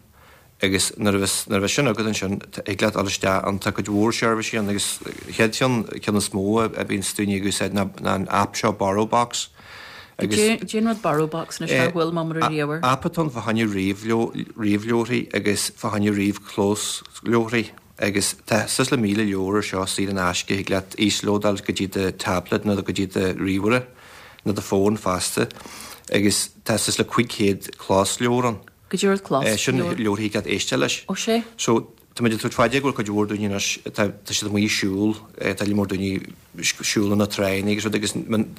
[SPEAKER 5] agus nuair a bheas, nuair a bheas sin agat ansin, thig leat dul isteach ann, tá cuid mhór seirbhísí ann agus chéad cheann, ceann is mó a bhíonns daoine ag úsáid ná an app seo BorrowBox.
[SPEAKER 1] Agus. Cad é an rud BorrowBox anois nár bhuail mé uirthi riamh?
[SPEAKER 5] App atá ann fá choinne ríomhleabharthaí agus fá choinne ríomh-chlosleabharthaí agus tá suas le 1,000 leabhar ar seo saor in aisce, thig leat íoslódáil go dtí do tablet nó go dtí do ríomhaire nó do fón fosta agus tá suas le 500 closleabhar ann.
[SPEAKER 1] Cad é rud closleabhar?
[SPEAKER 5] Sin leabharthaí thig leat éisteacht leis.
[SPEAKER 1] Ó sé.
[SPEAKER 5] So tá muid ag tabhairt fá dear go bhfuil cuid mhór daoine anois, tá tá siad amuigh ag siúl, tá lear mór daoine ag siúl ar na tráigheanna agus rud agus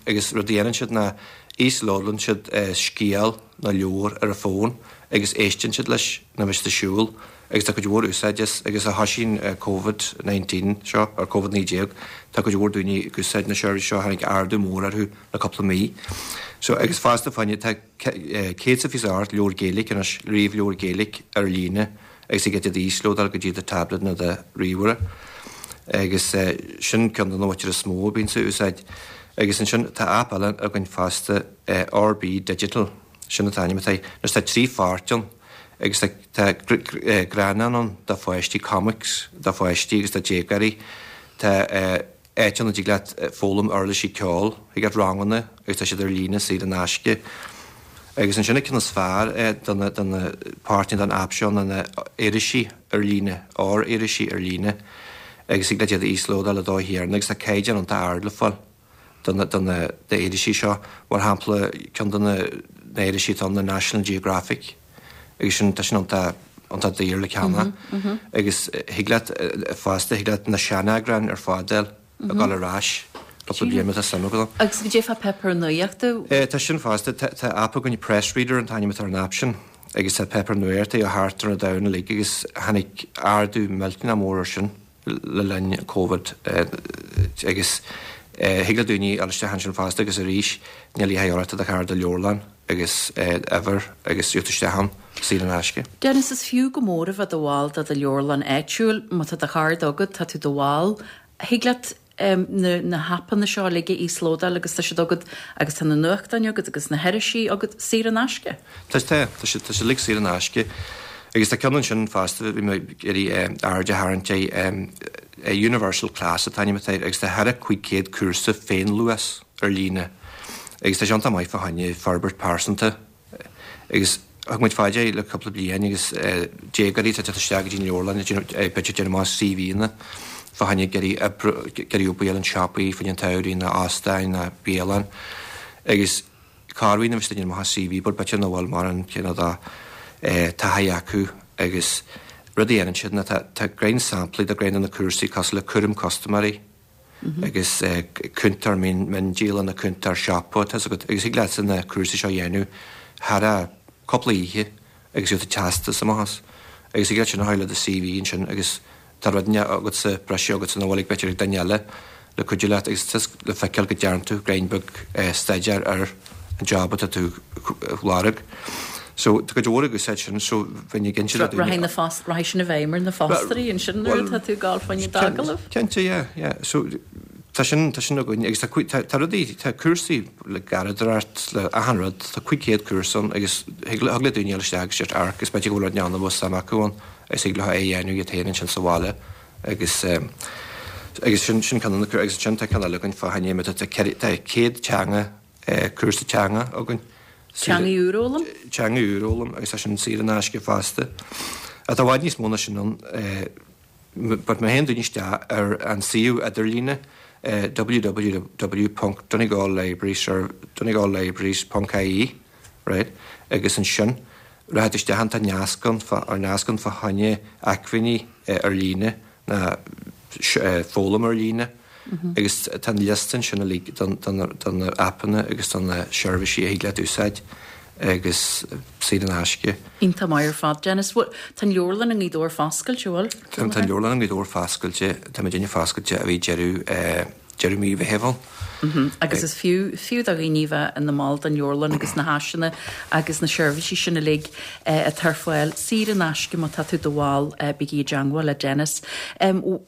[SPEAKER 5] agus rud a dhéanann siad ná íoslódálann siad scéal nó leabhar ar a bhfón agus éisteann siad leis nuair a bheidh siad ag siúl. Agus tá cuid mhór úsáid as, agus ó thoisigh an Covid 19 seo, or Covid 19, tá cuid mhór daoine ag úsáid na seirbhísí seo, tháinig ardú mór orthu le cúpla mí. So, agus fosta fá choinne, tá 128 leabhar Gaeilge anois, ríomhleabhar Gaeilge ar líne agus thig leat iad a íoslódáil go dtí do tablet nó do ríomhaire. Agus sin ceann de na bhfeature is mó a bhíonns á úsáid. Agus ansin tá aip eile againn fosta, RB Digital, sin an t-ainm atá air. Anois tá 3 pháirt ann agus tá tá greannáin ann do pháistí, comics do pháistí agus do déagóirí. Tá áit ann a dtig leat foghlaim uirlisí ceoil, thig leat ranganna agus tá siad ar líne saor in aisce. Agus ansin an ceann is fearr do na do na páirteanna den aip seo ná na irisí ar líne, r-irisí ar líne agus thig leat iad a íoslódáil i do thiarna agus tá caighdeán iontach ard le fáil. do na do na irisí seo. Mar shampla, ceann de na na irisí atá ann ná National Geographic agus sin tá sin iontach iontach daor le ceannach agus thig leat fosta thig leat na seaneagráin ar fad a fháil ag dul ar ais cúpla bliain má tá suim agat ann.
[SPEAKER 1] Agus goidé fá pháipéar nuachta?
[SPEAKER 5] Tá sin fosta. Tá tá aip againn Press Reader an t-ainm atá ar an aip sin agus tá páipéar nuachta ó thart ar an domhan uilig agus tháinig ardú millteanach mór air sin. le linn Covid agus thig le daoine dul isteach ansin fosta agus arís níl a dhath ort tá do chárta leabharlann agus uimhir agus gheobhaidh tú isteach ann saor in aisce.
[SPEAKER 1] Dennis, is fiú go mór a bheith i do bhall de do leabharlann áitiúil. Má tá do chárta agat, tá tú i do bhall. Thig leat na na haipeanna seo uilig a íoslódáil agus tá siad agat agus tá na nuachtáin agat agus na hirisí agat saor in aisce.
[SPEAKER 5] Tá, tá, tá siad, tá siad uilig saor in aisce. Agus tá ceann ansin fosta, bhí mé ag iarraidh aird a tharraingt air, Universal Class an t-ainm atá air agus tá thar a 500 cúrsa féinluas ar líne agus tá sé iontach maith fá choinne forbairt pearsanta agus thug muid fá dear le cúpla bliain agus déagóirí atá ag teacht isteach go dtí an leabharlann ag déanamh, b'fhéidir ag déanamh amach CV-anna fá choinne ag iarraidh oibre, ag iarraidh obair in siopaí fá choinne an tsamhraidh nó óstáin nó bialann agus corruair nuair a bhí siad ag déanamh amach a CV but b'fhéidir nach bhfuil mórán cineál de taithí acu agus rud a dhéanann siad ná tá tá greim samplaí de greim de na cúrsaí cosúil le cúram custaiméirí agus cúntóir miondíola nó cúntóir siopa tá a fhios agat agus thig leatsa na cúrsaí seo a dhéanamh thar a cúpla oíche agus gheobhaidh tú teastas amach as agus thig leat sin a chur le do CV ansin agus Tá rud inteacht agatsa, breise agatsa nach bhfuil ag b'fhéidir ag duine eile le cuidiú leat agus tá le feiceáil go dtearn tú greim beag staidéir ar an job atá tú ag lorg. So tá cuid mhór ag úsáid sin so bheinn ag inse le daoine.
[SPEAKER 1] Rachaidh na fos, rachaidh sin i bhfeidhm ar na fostóirí ansin nuair atá tú ag gabháil fá choinne d'agallamh.
[SPEAKER 5] Cinnte, yeah, yeah. So tá sin, tá sin againn agus tá, tá, tá rudaí, tá cúrsaí le garradóireacht, le achan rud, tá 500 cúrsa ann agus thig le, thig le daoine dul isteach agus just amharc agus b'fhéidir go bhfuil rud ann a bhfuil suim acu ann. Is thig leo é a dhéanamh iad féin ansin sa bhaile agus agus sin sin ceann de na agus ansin tá ceann eile againn fá choinne tá tá 100 teanga cúrsa teanga againn.
[SPEAKER 1] Teanga úr a fhoghlaim?
[SPEAKER 5] Teanga úr a fhoghlaim agus tá sin saor in aisce fosta. Tá i bhfad níos mó ná sin ann but má théann daoine isteach ar an suíomh idirlíne www ponc Donegal Libraries Donegal Libraries ponc ie right agus ansin Rachaidh tú isteach ann, tá nasc ann, ar nasc ann fá choinne acmhainní ar líne ná foghlaim ar líne agus tá an liosta ansin uilig de na aipeanna agus de na seirbhísí a thig leat úsáid agus saor in aisce.
[SPEAKER 1] Iontach maith ar fad, Dennis. Bhuel, tá an leabharlann i nGaoth Dobhair foscailte, an bhfuil?
[SPEAKER 5] Tá an leabharlann i nGaoth Dobhair foscailte, tá muidinne foscailte ó bhí deireadh deireadh mí Mheithimh
[SPEAKER 1] ann. Agus is fiú, fiú do dhaoine a bheith ina mball den leabharlann agus na háiseanna agus na seirbhísí sin uilig atá ar fáil saor in aisce má tá tú i do bhall, bígí i dteangmháil le Dennis.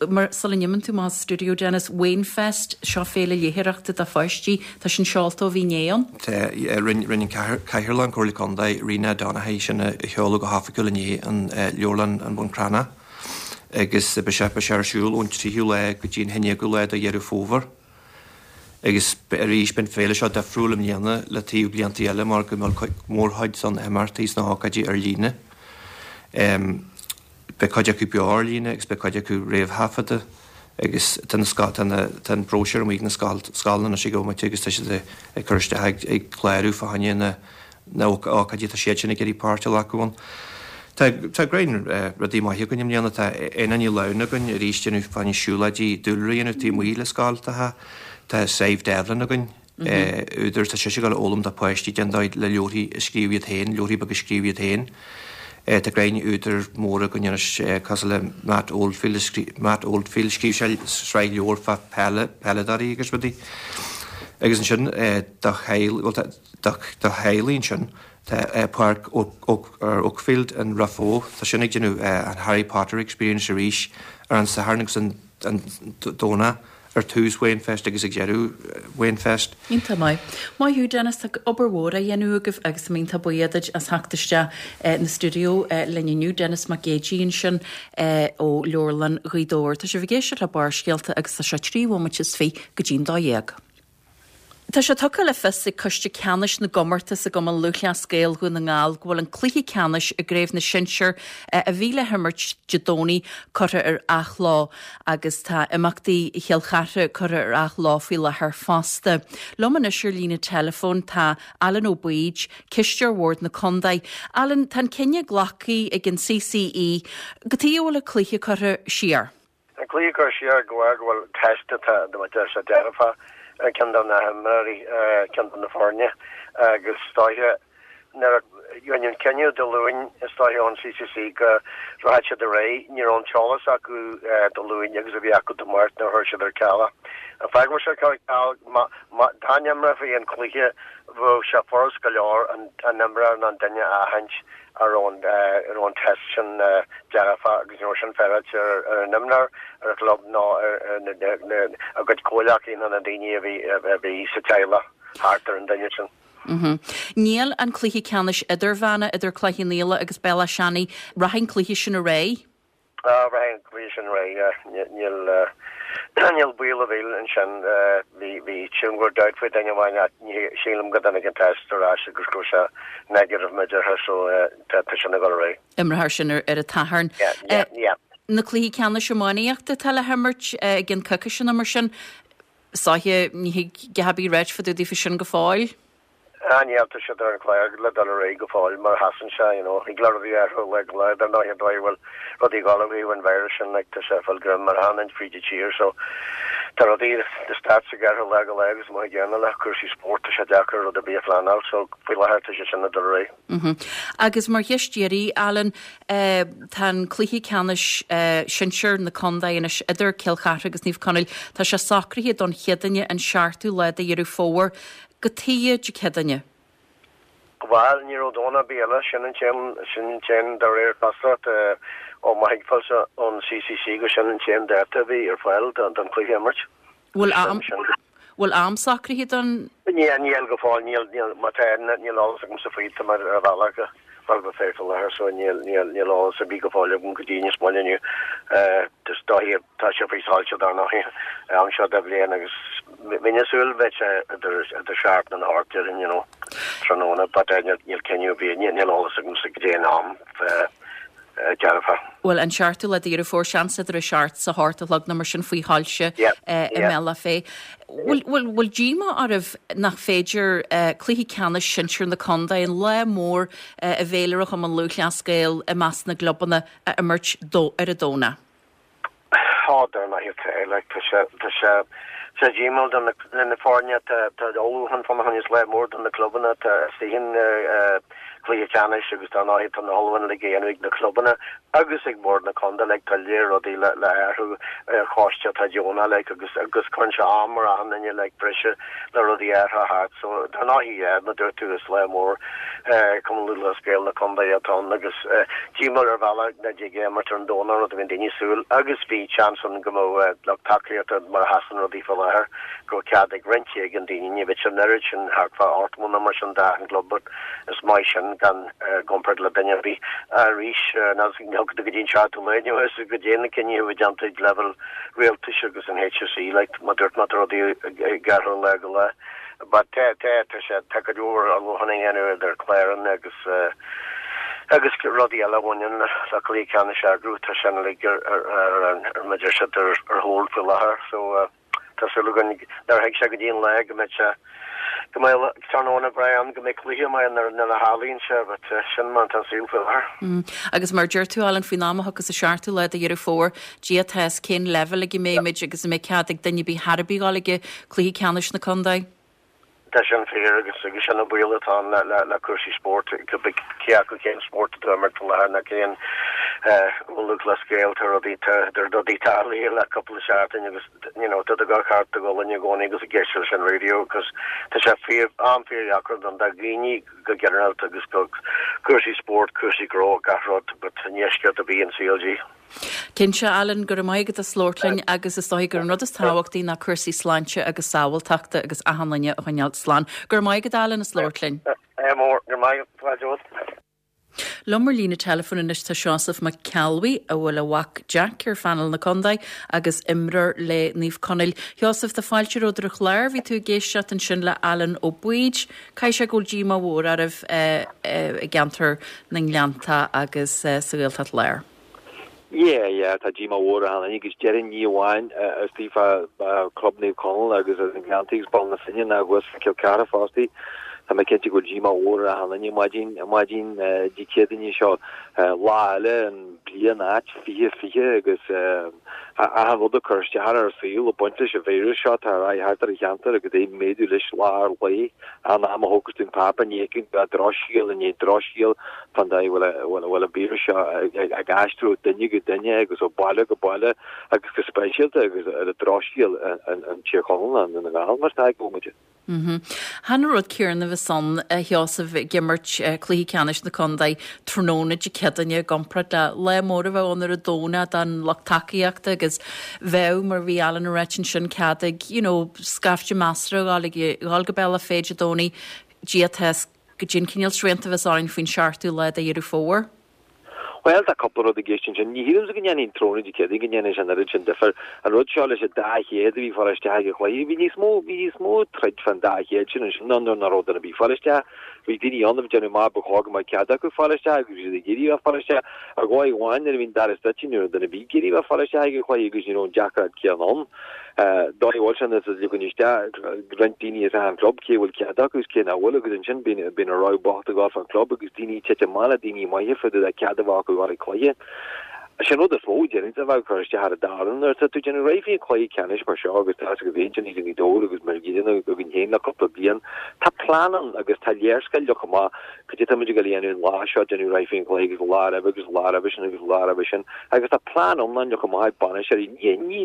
[SPEAKER 1] Mar, sula n-imíonn tú amach as stiúideo, Dennis, Wainfest, seo féile léitheoireachta do pháistí, tá sin seolta ó bhí inné ann.
[SPEAKER 5] Tá, rinne, rinne an Cathaoirleach, an Comhairle Contae, Rena Donaghey, sin a sheoladh go hoifigiúil inné in Leabharlann an Bhun Cranncha. agus beidh sé, beidh sé ar siúl ón 3ú lá go dtí an 11ú lá de Dheireadh Fómhair. Agus arís, beidh an féile seo difriúil i mbliana le taobh blianta eile mar go mbeidh mórchuid de na himeachtaí is na hócáidí ar líne. Beidh cuid acu beo ar líne agus beidh cuid acu réamhthaifeadta agus tá na, tá na, tá an bróisiúr amuigh ag na scoileanna anois ag an bhomaite agus tá siad ag cur isteach ag, ag clárú fá choinne na, na hócáidí atá siad sin ag iarraidh páirt a ghlacadh ann. Tá tá greim rudaí maithe againn i mbliana. Tá Éanna Ní Lamhna againn arís déanamh fá choinne siúlóidí dúlra a dhéanamh taobh amuigh le scoil. Tá tá Sadhbh Devlin againn, údar, tá sise ag dul a fhoghlaim do páistí cén dóigh le leabharthaí a scríobh iad féin, leabharthaí beaga a scríobh iad féin. Tá greim údair móra againn anois cosúil le Matt Oldfield, Matt Oldfield, scríobh sé sraith leabhar fá peileadóirí agus rudaí. Agus ansin do theaghlaigh, bhuel do theaghlaigh ansin, tá Páirc Oakfield in Raphoe, tá sin ag déanamh an Harry Potter Experience arís ar an Satharn agus an Domhnach. ar tús Wainfest agus ag deireadh Wainfest.
[SPEAKER 1] Iontach maith. Maith thú Denis, tá obair mhór á dhéanamh agaibh agus tá mé iontach buíoch duit as theacht isteach na stiúideo linn inniu. Denis Mac Géidigh ansin ó Leabharlann Ghaoth Dobhair. Tá sibh ag éisteacht le Barrscéalta agus tá sé 23 bhomaite go dtí'n 12. Tá sé tugtha le fios ag Coiste Ceannais na gComórtas i gCumann Lúthchleas Gael Dhún na nGall go bhfuil an cluiche ceannais i gCraobh na Sinsear a bhí le himirt Dé Domhnaigh curtha ar athló agus tá imeachtaí Chill Chartha curtha ar athló faoi láthair fosta. Liom anois ar líne teileafóin tá Alan Ó Baoid, Cisteoir Bhord na Condae. Alan, tá an cinneadh glactha ag an CCE. Cad chuige a bhfuil an cluiche curtha siar?
[SPEAKER 6] An cluiche curtha siar de bharr go bhfuil test atá tá sé dearfach ar ceann de na himreoirí, ceann de na foirne agus is dóiche nuair a rinneadh an cinneadh Dé Luain is dóiche ón CCC go rachadh siad ar aghaidh, ní raibh an t-eolas acu Dé Luain agus a bhí acu Dé Máirt nuair a chuir siad ar ceal é. An fáth go bhfuil sé curtha ar ceal, dá n-imreofaí an cluiche bheadh sé furast go leor an imreoir nó an duine a aithint a raibh an raibh an test sin dearfach agus ní raibh sin féaráilte ar an imreoir, ar an chlub ná ar a gcuid comhghleacaithe nó na daoine a bhí a bhí sa teaghlach thart ar an duine sin.
[SPEAKER 1] Níl an cluiche ceannais idirmheánach idir Cloich Cheann Fhaola agus Béal Átha Seanaidh, rachaidh an cluiche sin ar aghaidh?
[SPEAKER 6] Rachaidh an cluiche sin ar aghaidh, níl níl baol a mhíll ansin. Bhí bhí sílim go raibh dabht faoi duine amháin ach ní sílim go dtáinig an test ar ais agus go raibh sé negative mar a déarfá so tá tá sin ag dul ar aghaidh.
[SPEAKER 1] Imreofar sin ar ar an tSatharn.
[SPEAKER 6] Yeah, yeah, yeah.
[SPEAKER 1] Na cluichí ceannais iománaíochta atá le himirt i gceann coicíse nó mar sin, is dóiche ní thig a dhath ar bith a ráit fá dtaobh daofa sin go fóill.
[SPEAKER 6] Ah níl, tá siad ar an chlár le dul ar aghaidh go fóill mar a sheasann sé, you know. Thig le rudaí athrú ó lá go lá, dar ndóigh, an dóigh a bhfuil rudaí ag dul ó thaobh an virus sin, like, tá sé ag fáil greim ar achan áit fríd an tír, so tá rudaí, the stats ag athrú ó lá go lá agus mar an gcéanna le cúrsaí spóirt, tá sé deacair rud ar bith a phleanáil, so faoi láthair tá sé sin ag dul ar aghaidh.
[SPEAKER 1] Mm-hmm. Agus mar cheist deiridh, Alan, eh, tá an cluiche ceannais eh, sinsir na contae anois idir Cill Chartha agus Naomh Conaill, tá sé socraithe don Chéadaoine an seachtú lá de Dheireadh Fómhair. Cad chuige Dé Céadaoine.
[SPEAKER 6] Bhail, ní raibh Domhnach ar bith eile, sin an t-aon, sin an t-aon, de réir cosúlachta ó mo thuigbheáilse ón CCC go sin an t-aon dáta a bhí ar fáil don chluiche a imirt.
[SPEAKER 1] Bhfuil am, bhfuil am socraithe don.
[SPEAKER 6] Níl, níl go fóill, níl, níl, má tá, níl eolas agamsa faoi, tá mé ar an bhealach go Baile Átha Cliath faoi láthair so níl, níl, níl eolas ar bith go fóill agam go dtí níos moille inniu. Is dóiche, tá sé faoi soilse dar ndóigh, am seo de bhliain agus bheinn ag súil bheadh sé idir, idir seacht nó a hocht déarfainn, you know, tráthnóna but níl, níl cinneadh ar bith, níl, níl eolas agamsa goidé an am
[SPEAKER 1] dearfa. Bhuel, an seachtú lá de Dheireadh Fómhair, seans idir a seacht 's a hocht a chlog nó mar sin faoi shoilse i mBealach Féich. Bhfuil, bhfuil díomá oraibh nach féidir cluiche ceannais sinsir na contae, an lá mór i bhféilire Chumann Lúthchleas Gael i measc na gclubanna, a imirt ar an Domhnach?
[SPEAKER 6] Tá, dar ndóigh tá, like, tá sé, tá sé, tá sé díomúil do na, na foirne, tá, tá ullmhúchán fána choinne, is lá mór do na clubanna, tá istigh in cluiche ceannais agus dar ndóigh tá na hullmhúcháin uilig á dhéanamh ag na clubanna agus ag Bord na Contae, like, tá léir rudaí le, le athrú ar choiste atá deonach, like, agus, agus cuireann sé am ar achan duine, like, briseadh le rudaí a athrú thart, so dar ndóigh, yeah, mar a dúirt tú, is lá mór Cumann Lúthchleas Gael na Contae atá ann agus díomúil ar bhealach nach dtig é a imirt ar an Domhnach, rud a bhíonn daoine ag súil, agus bhí seans ann go mbeadh lucht tacaíochta mar a sheasann rudaí faoi láthair, go raibh cead ag roinnt éigin daoine, ní bheadh an oiread sin, thart fá 80 nó mar sin d'achan gclub but is maith sin gan i gcomparáid le duine ar bith. Arís, ní go dtí an seachtú lá inniu is goidé na cinntí a bhí déanta ag leibhéal rialtais agus an HSE, like, mar a dúirt mé tá rudaí ag athrú ó lá go lá. But tá, tá, tá sé, tá cuid mhór ullmhúchán á dhéanamh idir cláranna agus agus rudaí eile a bhaineann le le cluiche ceannais a eagrú, tá sin uilig ar ar ar ar mar a deir siad ar ar hold faoi láthair so tá súil againn nuair a thig sé go dtí an lá go mbeidh sé go mbeidh tráthnóna breá ann go mbeidh cluiche maith ann nuair a tharlaíonn sé but sin mar atá an saol faoi
[SPEAKER 1] láthair. Agus mar a deir tú Alan faoin am a thiocfas an seachtú lá de Dheireadh Fómhair, Dia atá fhios cén leibhéal ag a mbeimid agus an mbeidh cead ag duine ar bith thar ar bith dhul ag cluiche ceannais na contae.
[SPEAKER 6] Tá sin fíor agus agus sin an baol atá ann le le cúrsaí spóirt, cibé cé acu cén spórt atá á imirt faoi láthair nó cén Lúthchleas Gael, tá rudaí tá rudaí tarlaithe le cúpla seachtain agus you know tá tú ag amharc thart do ghualainn i gcónaí agus ag éisteacht leis an raidió agus tá sé fíor an-fhíordheacair don do dhaoine go ginearálta agus go cúrsaí spóirt, cúrsaí gnó, gach rud but i ndeisceart a bhí an CLG.
[SPEAKER 1] Cinnte, Alan, go raibh maith agat as labhairt linn agus is dóigh gur an rud is tábhachtaí ná cúrsaí sláinte agus sábháilteachta agus achan duine a choinneáil slán. Go raibh maith agat, Alan, as labhairt linn.
[SPEAKER 6] Ádh mór, go raibh maith agat.
[SPEAKER 1] Liom ar líne teileafóin anois tá Seosamh Mac Ceallbhuí, a bhfuil a mhac Jack ar phainéal na contae agus imreoir le Naomh Conaill. Sheosamh, tá fáilte romhat ar an chlár. Bhí tú ag éisteacht ansin le Alan Ó Baoid. Caithfidh sé go bhfuil díomá mhór oraibh i gceantar na nGleannta agus sa Ghaeltacht Láir.
[SPEAKER 7] Yeah, yeah, tá díomá mhór ar achan duine agus déarfainn ní amháin istigh fá Club Naomh Conaill agus ar na Gleanntaí agus Baile na Finne ná thuas fá Cill Chartha fostaí. Tá mé cinnte go bhfuil díomá mhór ar achan duine maidin, maidin Dé Céadaoine seo. Lá eile an bliain ait 2020 agus achan rud ag cur isteach ar ár saol ag baint leis an víreas seo atá ar aghaidh thart ar an cheantar agus é ag méadú leis lá ar lae. An am a thógas tú an páipéar ní fheiceann tú ach drochscéal i ndiaidh drochscéal fán dóigh a bhfuil a bhfuil an víreas seo ag aistriú ó duine go duine agus ó baile go baile agus go speisialta agus ar an drochscéal in Tír Chonaill i nDún na nGall mar atá ag muid.
[SPEAKER 1] Chan an rud céanna a bheas ann, a Sheosaimh, ag imirt cluiche ceannais na contae tráthnóna Dé Céadaoine i gcomparáid le lá mór a bheadh ann ar an Domhnach don lucht tacaíochta agus bheadh, mar a bhí Alan ag ráit ansin, cead ag, you know, scaifte measartha a dhul dhul go Bealach Féich Dé Domhnaigh, Dia atá fhios goidé an cineál srianta a bheas orainn faoin seachtú lá de Dheireadh Fómhair.
[SPEAKER 7] Bhuel, tá cúpla rud i gceist ansin. Ní shílimse go ndéanfaidh an tráthnóna Dé Céadaoin go ndéanfaidh sé an oiread sin difear. An rud seo leis an dá chéad a bhí ag fáil isteach ag an chluiche, bhí níos mó, bhí níos mó troid fán dá chéad sin ansin ná nuair nach raibh duine ar bith ag fáil isteach. Bhí daoine ann a bhí ag déanamh amach ba chóir go mbeadh cead acu fáil isteach agus bhí siad ag iarraidh a bheith ag fáil isteach. Ar dhóigh amháin nuair a bhí an doras druidte ní raibh duine ar bith ag iarraidh a bheith ag fáil isteach ag an chluiche agus ní raibh an deacracht céanna ann. Dóigh a bhfuil sé nuair a ligeann isteach roinnt daoine as achan club, cé a bhfuil cead acu is cé nach bhfuil agus ansin bíonn an rogha bocht ag gabháil fán club agus daoine ag titim amach le daoine maithe fá dtaobh de cead a bheith acu a ghabháil ag cluiche. Sin rud is mó, déarfainn, a bheadh ag cur isteach ar an dá fhoireann. Nuair atá tú ag déanamh réidh faoin chluiche ceannais mar seo agus tá a fhios agat féin ansin i nGaoth Dobhair agus mar a gcéanna againn féin le cúpla bliain, tá plean ann agus tá léarscáil leagtha amach Cad é tá muid ag dul a dhéanamh an lá seo, déanamh réidh faoin chluiche agus an lá roimhe agus an lá roimhe sin agus an lá roimhe sin agus tá plean iomlán leagtha amach ag bainisteoirí.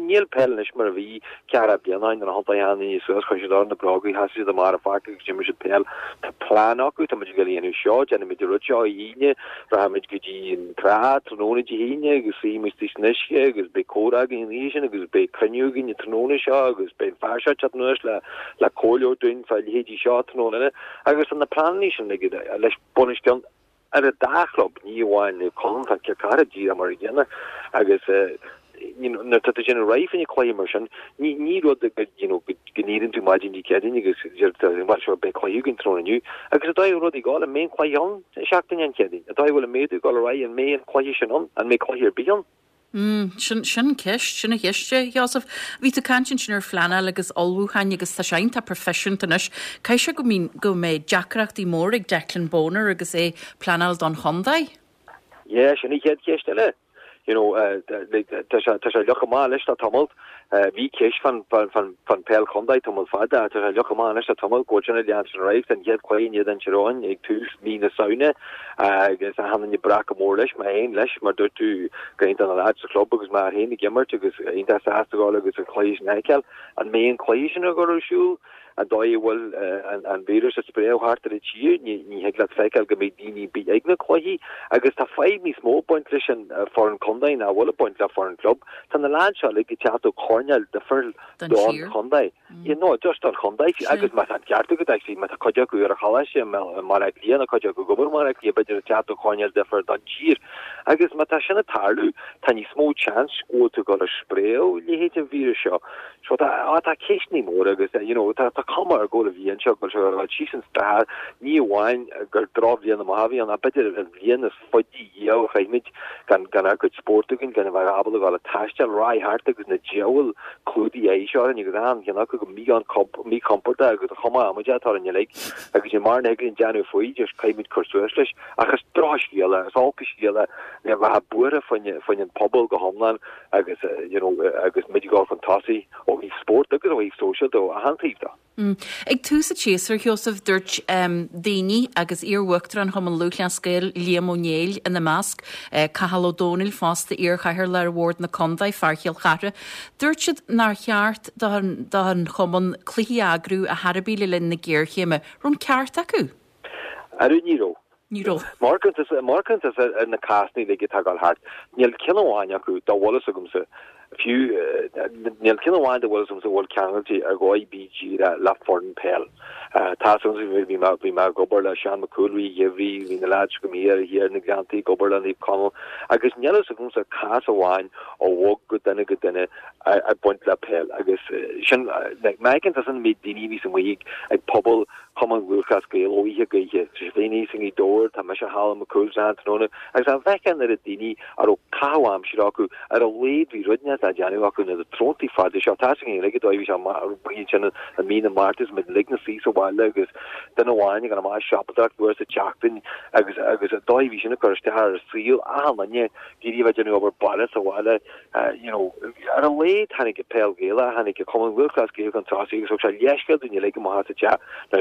[SPEAKER 7] Níl peil anois mar a bhí ceathracha bliain ó shin nuair a thiontaigh achan duine suas, chuir siad orthu na bróga, sheasaigh siad amach ar an pháirc agus d'imir siad peil. Tá plean acu, tá muid ag dul a dhéanamh seo, déanfaimid an rud seo oíche Aoine, rachaimid go dtí an trá tráthnóna Dé hAoine agus suífimid istigh san uisce agus beidh comhrá againn an oíche sin agus beidh cruinniú againn an tráthnóna seo agus beidh an fear seo ag teacht anuas le le comhairle a thabhairt dúinn fá leithéidí seo tráthnóna eile. Agus tá na pleananna sin ag leis bunoscionn ar an dá chlub, ní amháin Naomh Conaill, tá Cill Chartha díreach mar an gcéanna agus nuair atá tú ag déanamh réidh fá choinne cluiche mar sin, ní ní rud go you know go n-éiríonn tú maidin Dé Céadaoin agus deir tú bhuel sure beidh cluiche againn tráthnóna inniu agus an dóigh a bhfuil rudaí ag gabháil, an mbeidh an cluiche ann seachtain an Chéadaoin, an dóigh a bhfuil an méadú ag dul ar aghaidh, an mbeidh an cluiche sin ann, an mbeidh cluiche ar bith ann?
[SPEAKER 1] Mm, sin, sin ceist, sin an cheist, a Sheosaimh. Bhí tú ag caint ansin ar phleanáil agus ullmhúcháin agus tá sé iontach proifisiúnta anois. Caithfidh sé go mbíonn, go mbeidh deacrachtaí móra ag Declan Bonner agus é ag pleanáil don chontae?
[SPEAKER 7] Yeah, sin an chéad cheist eile. You know, tá sé, tá sé leagtha amach anois le tamall. Bhí ceist fán, fán, fán, fán peil chontae tamall fada ach tá sé leagtha amach anois le tamall go bhfuil sin ag leanstan ar aghaidh. Tá an chéad chluiche in éadan Tír Eoghain ag tús mí na Samhna agus achan duine breá go mór leis, mé féin leis, mar dúirt tú, go hiontach na lads sa chlub agus mé féin ag imirt agus iontach sásta a ghabháil agus an cluiche sin a fheiceáil. An mbeidh an cluiche sin ag dul ar siúl? An dóigh a bhfuil an víreas ag spréadh thart ar an tír, ní thig leat feiceáil go mbeidh daoine ar bith ag na cluichí. Agus tá fadhb níos mó ag baint leis an foireann contae ná a bhfuil ag baint le foireann club. Tá na lads seo uilig ag teacht ó choirnéil difriúil don chontae. You know, just don chontae. Agus má tá an ceart agat, actually, má tá cuid acu ar an choláiste i mBaile Átha Cliath nó cuid acu ag obair i mBaile Átha Cliath, b'fhéidir ag teacht ó choirnéil difriúil don tír. Agus má tá sin ag tarlú, tá níos mó chance go bhfuil tú ag dul a spréadh leithéid an víreas seo. So tá, á, tá ceisteanna móra agus, you know, tá, tá cuma ar go bhfuil an bhliain seo, go bhfuil sé ag dul síos an stair, ní amháin gur drochbhliain amach a bhí ann, ach b'fhéidir an bhliain is faide riamh a chaith muid gan, gan ár gcuid spóirt againn, gan a bheith ábalta a dhul ag taisteal, raghaidh thart agus na diabhail clúdaigh aghaidh seo orainn agus achan cheann acu go míchompordach agus an chuma amaideach atá orainn uilig agus níl mórán a thig linn déanamh faoi, just caithfidh muid cur suas leis. Ach is drochscéal é, is olc an scéal é, le bheith buartha faoin an pobal go hiomlán agus you know agus muid ag dul chun tosaigh ó thaobh spóirt agus ó thaobh sóisialta ó achan taobh de.
[SPEAKER 1] Ag tús an tséasúir, Sheosaimh, dúirt daoine, agus iar-Uachtarán Chumann Lúthchleas Gael, Liam Ó Néill ina measc, Cathal Ó Dónaill fosta, iar-chathaoirleach ar Bhord na Condae, fear Chill Chartha, dúirt siad nár cheart don chumann cluichí a eagrú ar chor ar bith le linn na géarchéime. Raibh an ceart acu?
[SPEAKER 7] Arú ní raibh.
[SPEAKER 1] Ní raibh.
[SPEAKER 7] Má amharcann tusa ar na cásanna uilig atá ag dul thart, níl ceann amháin acu dá bhfuil fhios agamsa, fiú, níl ceann amháin dá bhfuil fhios agamsa a bhfuil ceangailte ar dhóigh ar bith díreach le foireann peil. Tá fhios agamsa, bhí mé, bhí mé ag obair le Seán Mac Cumhaill i rith an gheimhridh, bhí na leaids agam thiar, thiar ar na Gleanntaí ag obair le Naomh Conaill, agus níl fhios agamsa cás amháin a bhog go duine go duine ag baint le peil agus sin, like, má fheiceann tusa an méid daoine a bhíos amuigh ag puball Chumann Lúthchleas Gael ó oíche go oíche. Tá sibh féin thíos i nGaoth Dobhair, tá mise thall i Mac Cumhaill tráthnóna, agus dá bhfeicfeá an oiread daoine a raibh caitheamh aimsire acu, ar a laghad bhí rud inteacht le déanamh acu na tráthnóntaí fada seo. Tá a fhios againn uilig an dóigh a bhí sé amuigh ansin i mí na Márta agus muid uilig ina suí sa bhaile agus duine amháin ag dul amach ag siopadóireacht uair sa tseachtain agus agus an dóigh a bhí sin ag cur isteach ar saol achan duine, ag iarraidh a bheith ag déanamh obair baile sa bhaile. you know, ar a laghad tháinig an peil Ghaelach, tháinig an Cumann Lúthchleas Gael chun tosaigh agus thug sé leithscéal dúinn uilig amach as an teach. Now,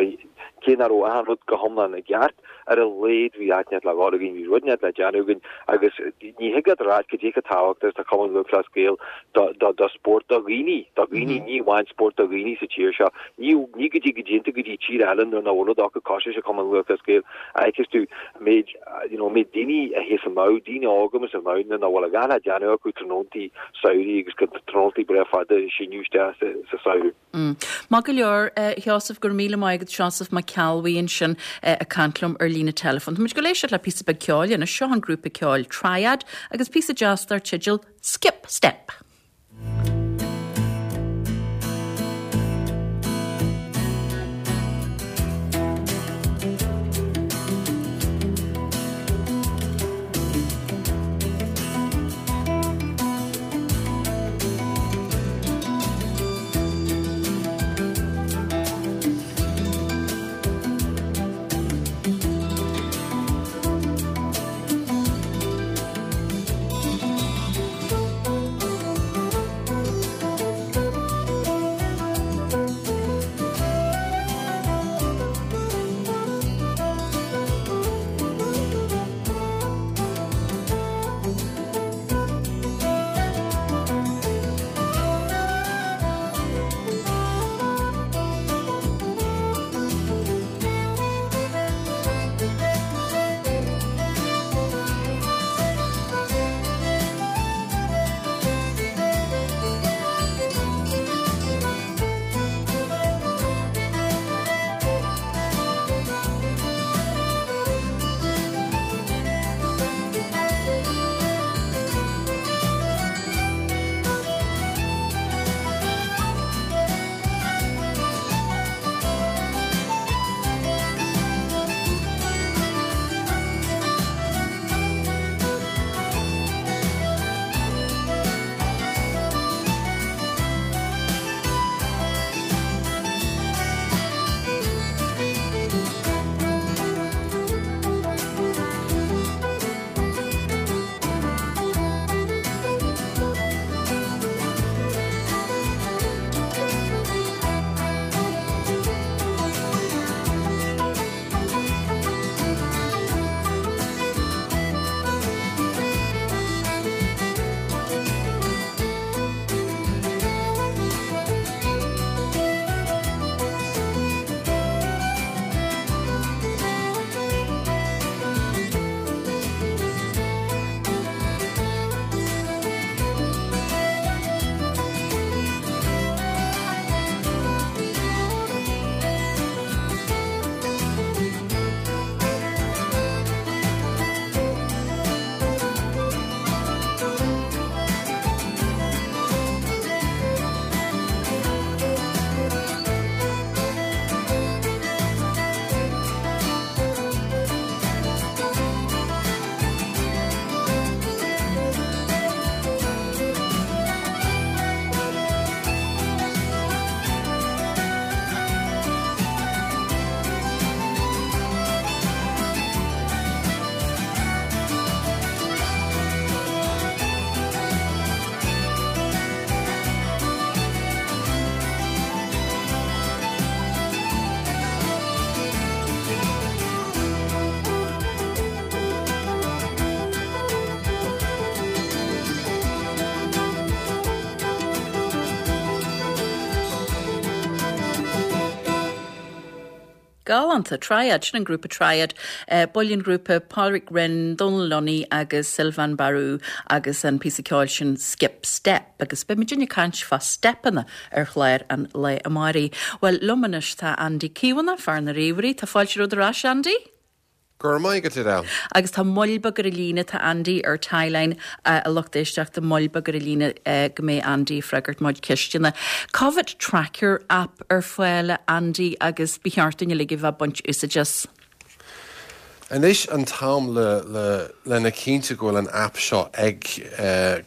[SPEAKER 7] cé nach raibh achan rud go hiomlán i gceart, ar a laghad bhí áit inteacht le dhul againn, bhí rud inteacht le déanamh againn agus ní thig leat a rá cad é chomh tábhachtach is atá Cumann Lúthchleas Gael do, do, do spórt do dhaoine, do dhaoine, ní amháin spórt do dhaoine sa tír seo. Ní, ní go dtí go dtéann tú go dtí tír eile nuair nach bhfuil rud acu cosúil leis an Cumann Lúthchleas Gael a fheiceas tú an méid you know, méid daoine a théas amach, daoine óga amuigh amach nuair nach bhfuil a dhath le déanamh acu tráthnóntaí samhraidh agus go tráthnóntaí breá fada ag síneadh isteach sa samhradh.
[SPEAKER 1] Maith go leor, a Sheosaimh, go raibh míle maith agat, Seosamh Mac Ceallbhuí ansin ag caint liom ar líne teileafóin. Tá muid ag dul éisteacht le píosa beag ceoil anois. Seo an grúpa ceoil Triad agus píosa deas dar teideal Skip Step. Galánta. Triad, sin an grúpa Triad. Baill an ghrúpa, Pádraig Rynne, Dónal Lunny agus Sylvain Barou agus an píosa ceoil sin Skip Step. Agus beidh muidinne ag caint fá steipeanna ar chlár an lae amáirigh. Bhuel, liom anois tá Andy Caomhánach, fear na ríomhairí. Tá fáilte romhat ar ais, Andy.
[SPEAKER 8] Go raibh maith agat, Edel.
[SPEAKER 1] Agus tá moill beag ar an líne, tá Andy ar tie-line, a lucht éisteachta, moill beag ar an líne go mbeidh Andy ag freagairt mo chuid ceisteanna. Covid Tracker app ar fáil, a Andy, agus ba cheart dúinn uilig a bheith ag baint úsáid as.
[SPEAKER 8] Anois an t-am le le lena chinntiú go bhfuil an app seo ag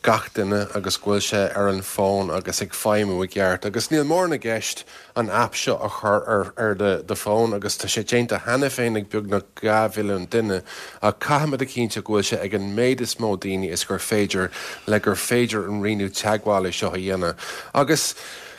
[SPEAKER 8] gach duine agus go bhfuil sé ar an bhfón agus ag feidhmiú i gceart. Agus níl mórán i gceist an aip seo a chur ar ar do fón agus tá sé déanta cheana féin ag beagnach 2 mhilliún duine ach caithfimid a chinntiú go bhfuil sé ag an méid is mó daoine is gur féidir le gur féidir an rianú teagmhála seo a dhéanamh. Agus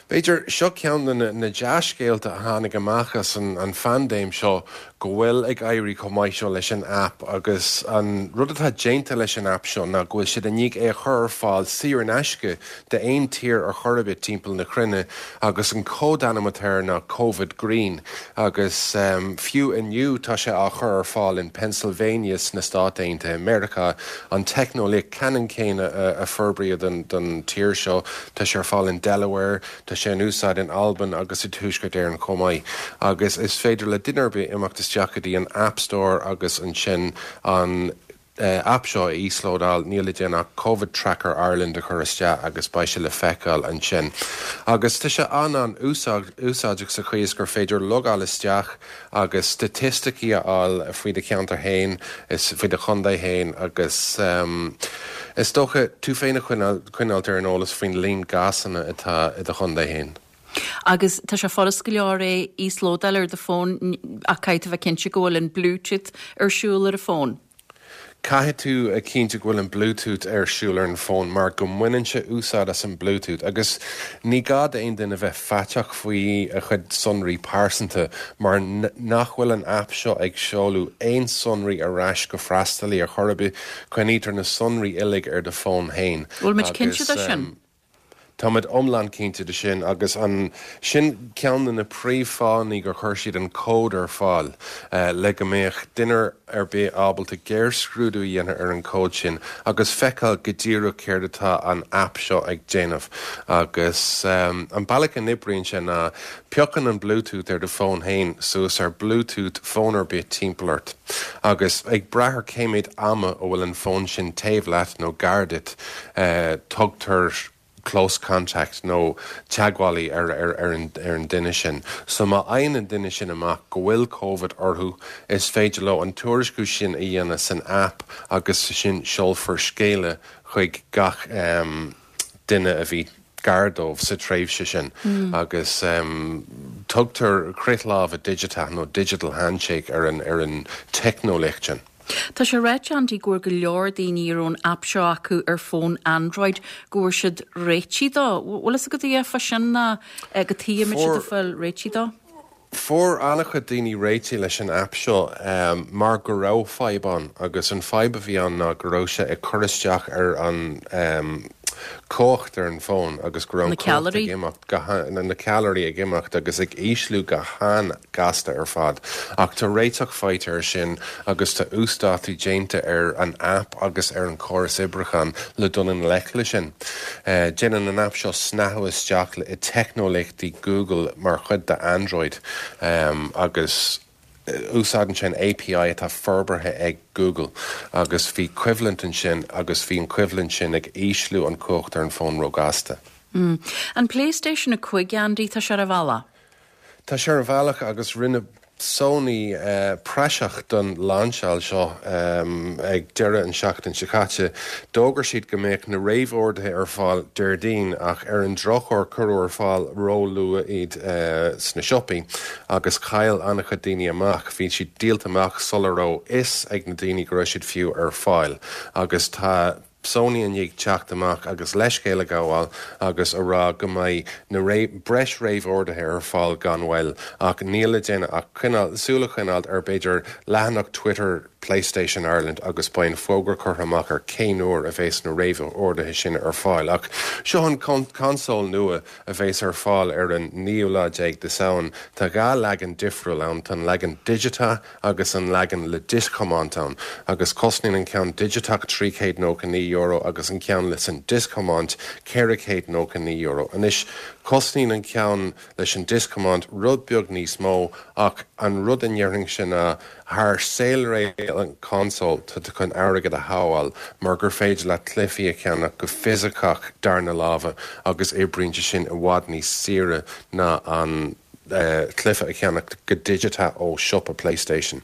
[SPEAKER 8] b'fhéidir, seo ceann de na dea-scéalta a tháinig amach as an phaindéim seo, go bhfuil ag éirí chomh maith seo leis an aip agus an rud atá déanta leis an aip seo ná go bhfuil siad i ndiaidh é a chur ar fáil saor in aisce d'aon tír ar chor ar bith timpeall na cruinne agus an códainm atá air ná Covid Green agus fiú inniu tá sé á chur ar fáil in Pennsylvania sna Stáit Aontaithe Meiriceá, an teicneolaíocht ceannann céanna a forbraíodh don tír seo, tá sé ar fáil in Delaware, Tá sé in úsáid in Albain agus i dTuaisceart Éireann chomh maith agus is féidir le duine ar bith imeacht isteach go dtí an App Store agus ansin an aip seo a íoslódáil. Níl le déanamh ach Covid Tracker Ireland a chur isteach agus beidh sé le feiceáil ansin. Agus tá sé an-an-úsáideach sa chaoi is gur féidir logáil isteach agus staitisticí a fháil faoi do cheantar féin is faoi do chontae féin agus is dócha tú féin a choinneáilt ar an eolas faoin líon gcásanna atá i do chontae féin.
[SPEAKER 1] Agus tá sé furast go leor é íoslódáil ar do fón ach caithfidh tú a bheith cinnte go bhfuil an Bluetooth ar siúl ar an bhfón.
[SPEAKER 8] Caithfidh tú a chinntiú go bhfuil an Bluetooth ar siúl ar an bhfón mar go mbaineann sé úsáid as an Bluetooth agus ní gá d'aon duine bheith faiteach faoi a chuid sonraí pearsanta mar nach bhfuil an aip seo ag seoladh aon sonraí ar ais go freastalaí ar chor ar bith, coinnítear na sonraí uilig ar do fón féin
[SPEAKER 1] Bhfuil muid cinnte de sin?
[SPEAKER 8] Táimid iomlán cinnte de sin agus an sin ceann de na príomhfháthanna gur chuir siad an cód ar fáil, le go mbeadh duine ar bith ábalta géarscrúdú a dhéanamh ar an cód sin agus feiceáil go díreach céard atá an aip seo ag déanamh. Agus an bealach a n-oibríonn sé ná piocann an Bluetooth ar do fón féin suas ar Bluetooth fón ar bith timpeall ort agus ag brath ar cé méid ama a bhfuil an fón sin taobh leat nó gar duit, tugtar close contact nó teagmhálaí ar an duine sin. So má fhaigheann an duine sin amach go bhfuil Covid orthu, is féidir leo an tuairisciú sin a dhéanamh san aip agus ansin seolfar scéala chuig gach duine a bhí gar dóibh sa tréimhse sin agus tugtar crith láimhe digiteach nó digital handshake ar an teicneolaíocht sin.
[SPEAKER 1] Tá sé ráite, Andy, go bhfuair go leor daoine a raibh an aip seo acu ar fón Android, go bhfuair siad réitigh dó. Bhfuil fhios agat a dhath fá sin ná cad chuige a mbeadh siad ag fáil réitigh dó?
[SPEAKER 8] Fuair an-chuid daoine réitigh leis an aip seo mar go raibh fadhb ann agus an fadhb a bhí ann ná go raibh sé ag cur isteach ar an cumhacht ar an bhfón agus go raibh an cumhacht ag imeacht go na ceallraí ag imeacht agus ag ísliú go han-ghasta ar fad. Ach tá réiteach faighte air sin agus tá uasdátú déanta ar an aip agus ar an chóras oibriúcháin le dul i ngleic leis sin. Déanann an aip seo snathadh isteach le teicneolaíochtaí Google mar chuid de Android agus Úsáideann sé an API atá forbartha ag Google agus bhí coimhlint ansin agus bhí an choimhlint sin ag ísliú an cumhacht ar an bhfón róghasta.
[SPEAKER 1] An PlayStation 5, Andy, tá sé ar a bhealach?
[SPEAKER 8] Tá sé ar a bhealach agus rinne Sony praiseach don lainseáil seo ag deireadh an seachtain seo caite. D'fhógair siad go mbeadh na réamhorduithe ar fáil Déardaoin ach ar an drochuair cuireadh ar fáil ró-luath iad sna siopaí. Agus chaill an-chuid daoine amach. Bhí siad díolta amach sula raibh fhios ag na daoine go raibh siad fiú ar fáil. Agus tá Sony i ndiaidh teacht amach agus leithscéal a ghabháil agus a rá go mbeidh na breis réamhorduithe ar fáil gan mhoill. Ach níl le déanamh ach coinneáil, súil a choinneáilt ar b'fhéidir leathanach Twitter. PlayStation Ireland agus beidh an fógra curtha amach ar cén uair a bheas na réamhorduithe sin ar fáil. Ach seo an consól nua a bheas ar fáil ar an naoú lá déag de Samhain. Tá 2 leagan difriúil ann, tá an leagan digiteach agus an leagan le dioscthiomáint ann, agus cosnaíonn an ceann digiteach €399 agus an ceann leis an dioscthiomáint €499. Anois, cosnaíonn an ceann leis an dioscthiomáint rud beag níos mó ach an rud a ndéarfainnse ná thar saolré an consól tá tú chun airgead a shábháil mar gur féidir leat cluichí a cheannach go fisiceach darna láimhe agus oibríonn sé sin i bhfad níos saoire ná an cluiche a cheannach go digiteach ó siopa PlayStation.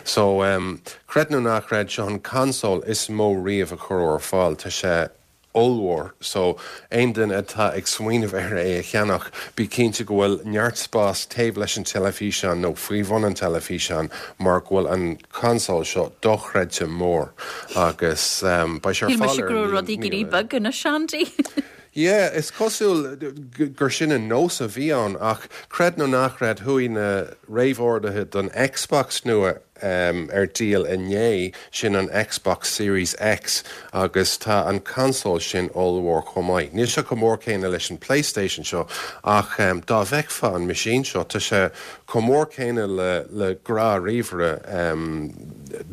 [SPEAKER 8] So, creid nó ná creid, seo an consól is mó riamh a cuireadh ar fáil. Tá sé ollmhór so aon duine atá ag smaoineamh ar é a cheannach, bí cinnte go bhfuil neart spás taobh leis an teilifíseán nó faoi bhun an teilifíseáin mar go bhfuil an consól seo dochreidte mór agus beidh sé ar
[SPEAKER 1] Shíl
[SPEAKER 8] fáil
[SPEAKER 1] mise
[SPEAKER 8] ar
[SPEAKER 1] go raibh
[SPEAKER 8] an
[SPEAKER 1] rudaí ag éirí beag anois, Andy.
[SPEAKER 8] Yeah, is cosúil gur sin an nós a bhí ann ach creid nó ná creid chuaigh na réamhorduithe don Xbox nua ar díol inné, sin an Xbox Series X agus tá an consól sin ollmhór chomh maith. Níl sé chomh mór céanna leis an PlayStation seo ach dá bhfeicfeá an meaisín seo, tá sé chomh mór céanna le le gnáth-ríomhaire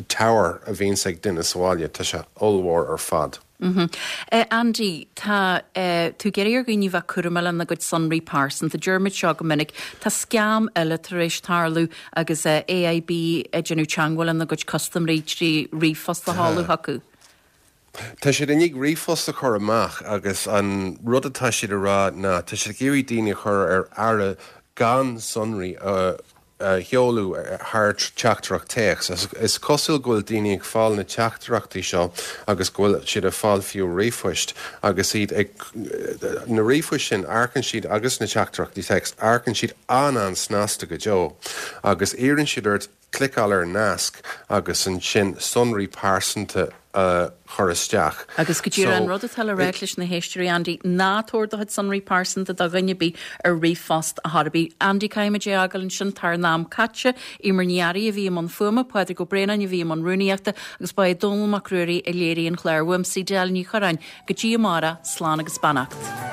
[SPEAKER 8] tower a bhíonns ag duine sa bhaile, tá sé ollmhór ar fad.
[SPEAKER 1] Andy, tá tú ag iarraidh ar dhaoine bheith cúramach lena gcuid sonraí pearsanta. Deirimid seo go minic. Tá scam eile tar éis tarlú agus AIB ag déanamh teagmháil lena gcuid custaiméirí trí ríomhphost a sheoladh chucu.
[SPEAKER 8] Tá siad i ndiaidh ríomhphost a chur amach agus an rud atá siad a rá ná tá siad ag iarraidh daoine a chur ar aire gan sonraí a a sheoladh thar teachtaireacht téacs. Is cosúil go bhfuil daoine ag fáil na teachtaireachtaí seo agus go bhfuil siad ag fáil fiú ríomhphoist agus iad ag, na ríomhphoist sin, amharcann siad agus na teachtaireachtaí téacs, amharcann siad an-an-snasta go deo agus iarrann siad ort cliceáil ar nasc agus ansin sonraí pearsanta a chur isteach.
[SPEAKER 1] Agus go díreach an rud atá le ráit leis na héisteoirí, Andy, ná tabhair do chuid sonraí pearsanta do dhuine ar bith ar ríomhphost ar chor ar bith. Andy, caithfimid é a fhágáil ansin, tá ár n-am caite. Emer Ní Fhearraigh a bhí i mbun fuaime, Pádraig Ó Braonáin a bhí i mbun rúnaíochta agus ba é Dónall Mac Ruairí a léirigh an clár. Uaimse Edel Ní Chorráin, go dtí amárach, slán agus beannacht.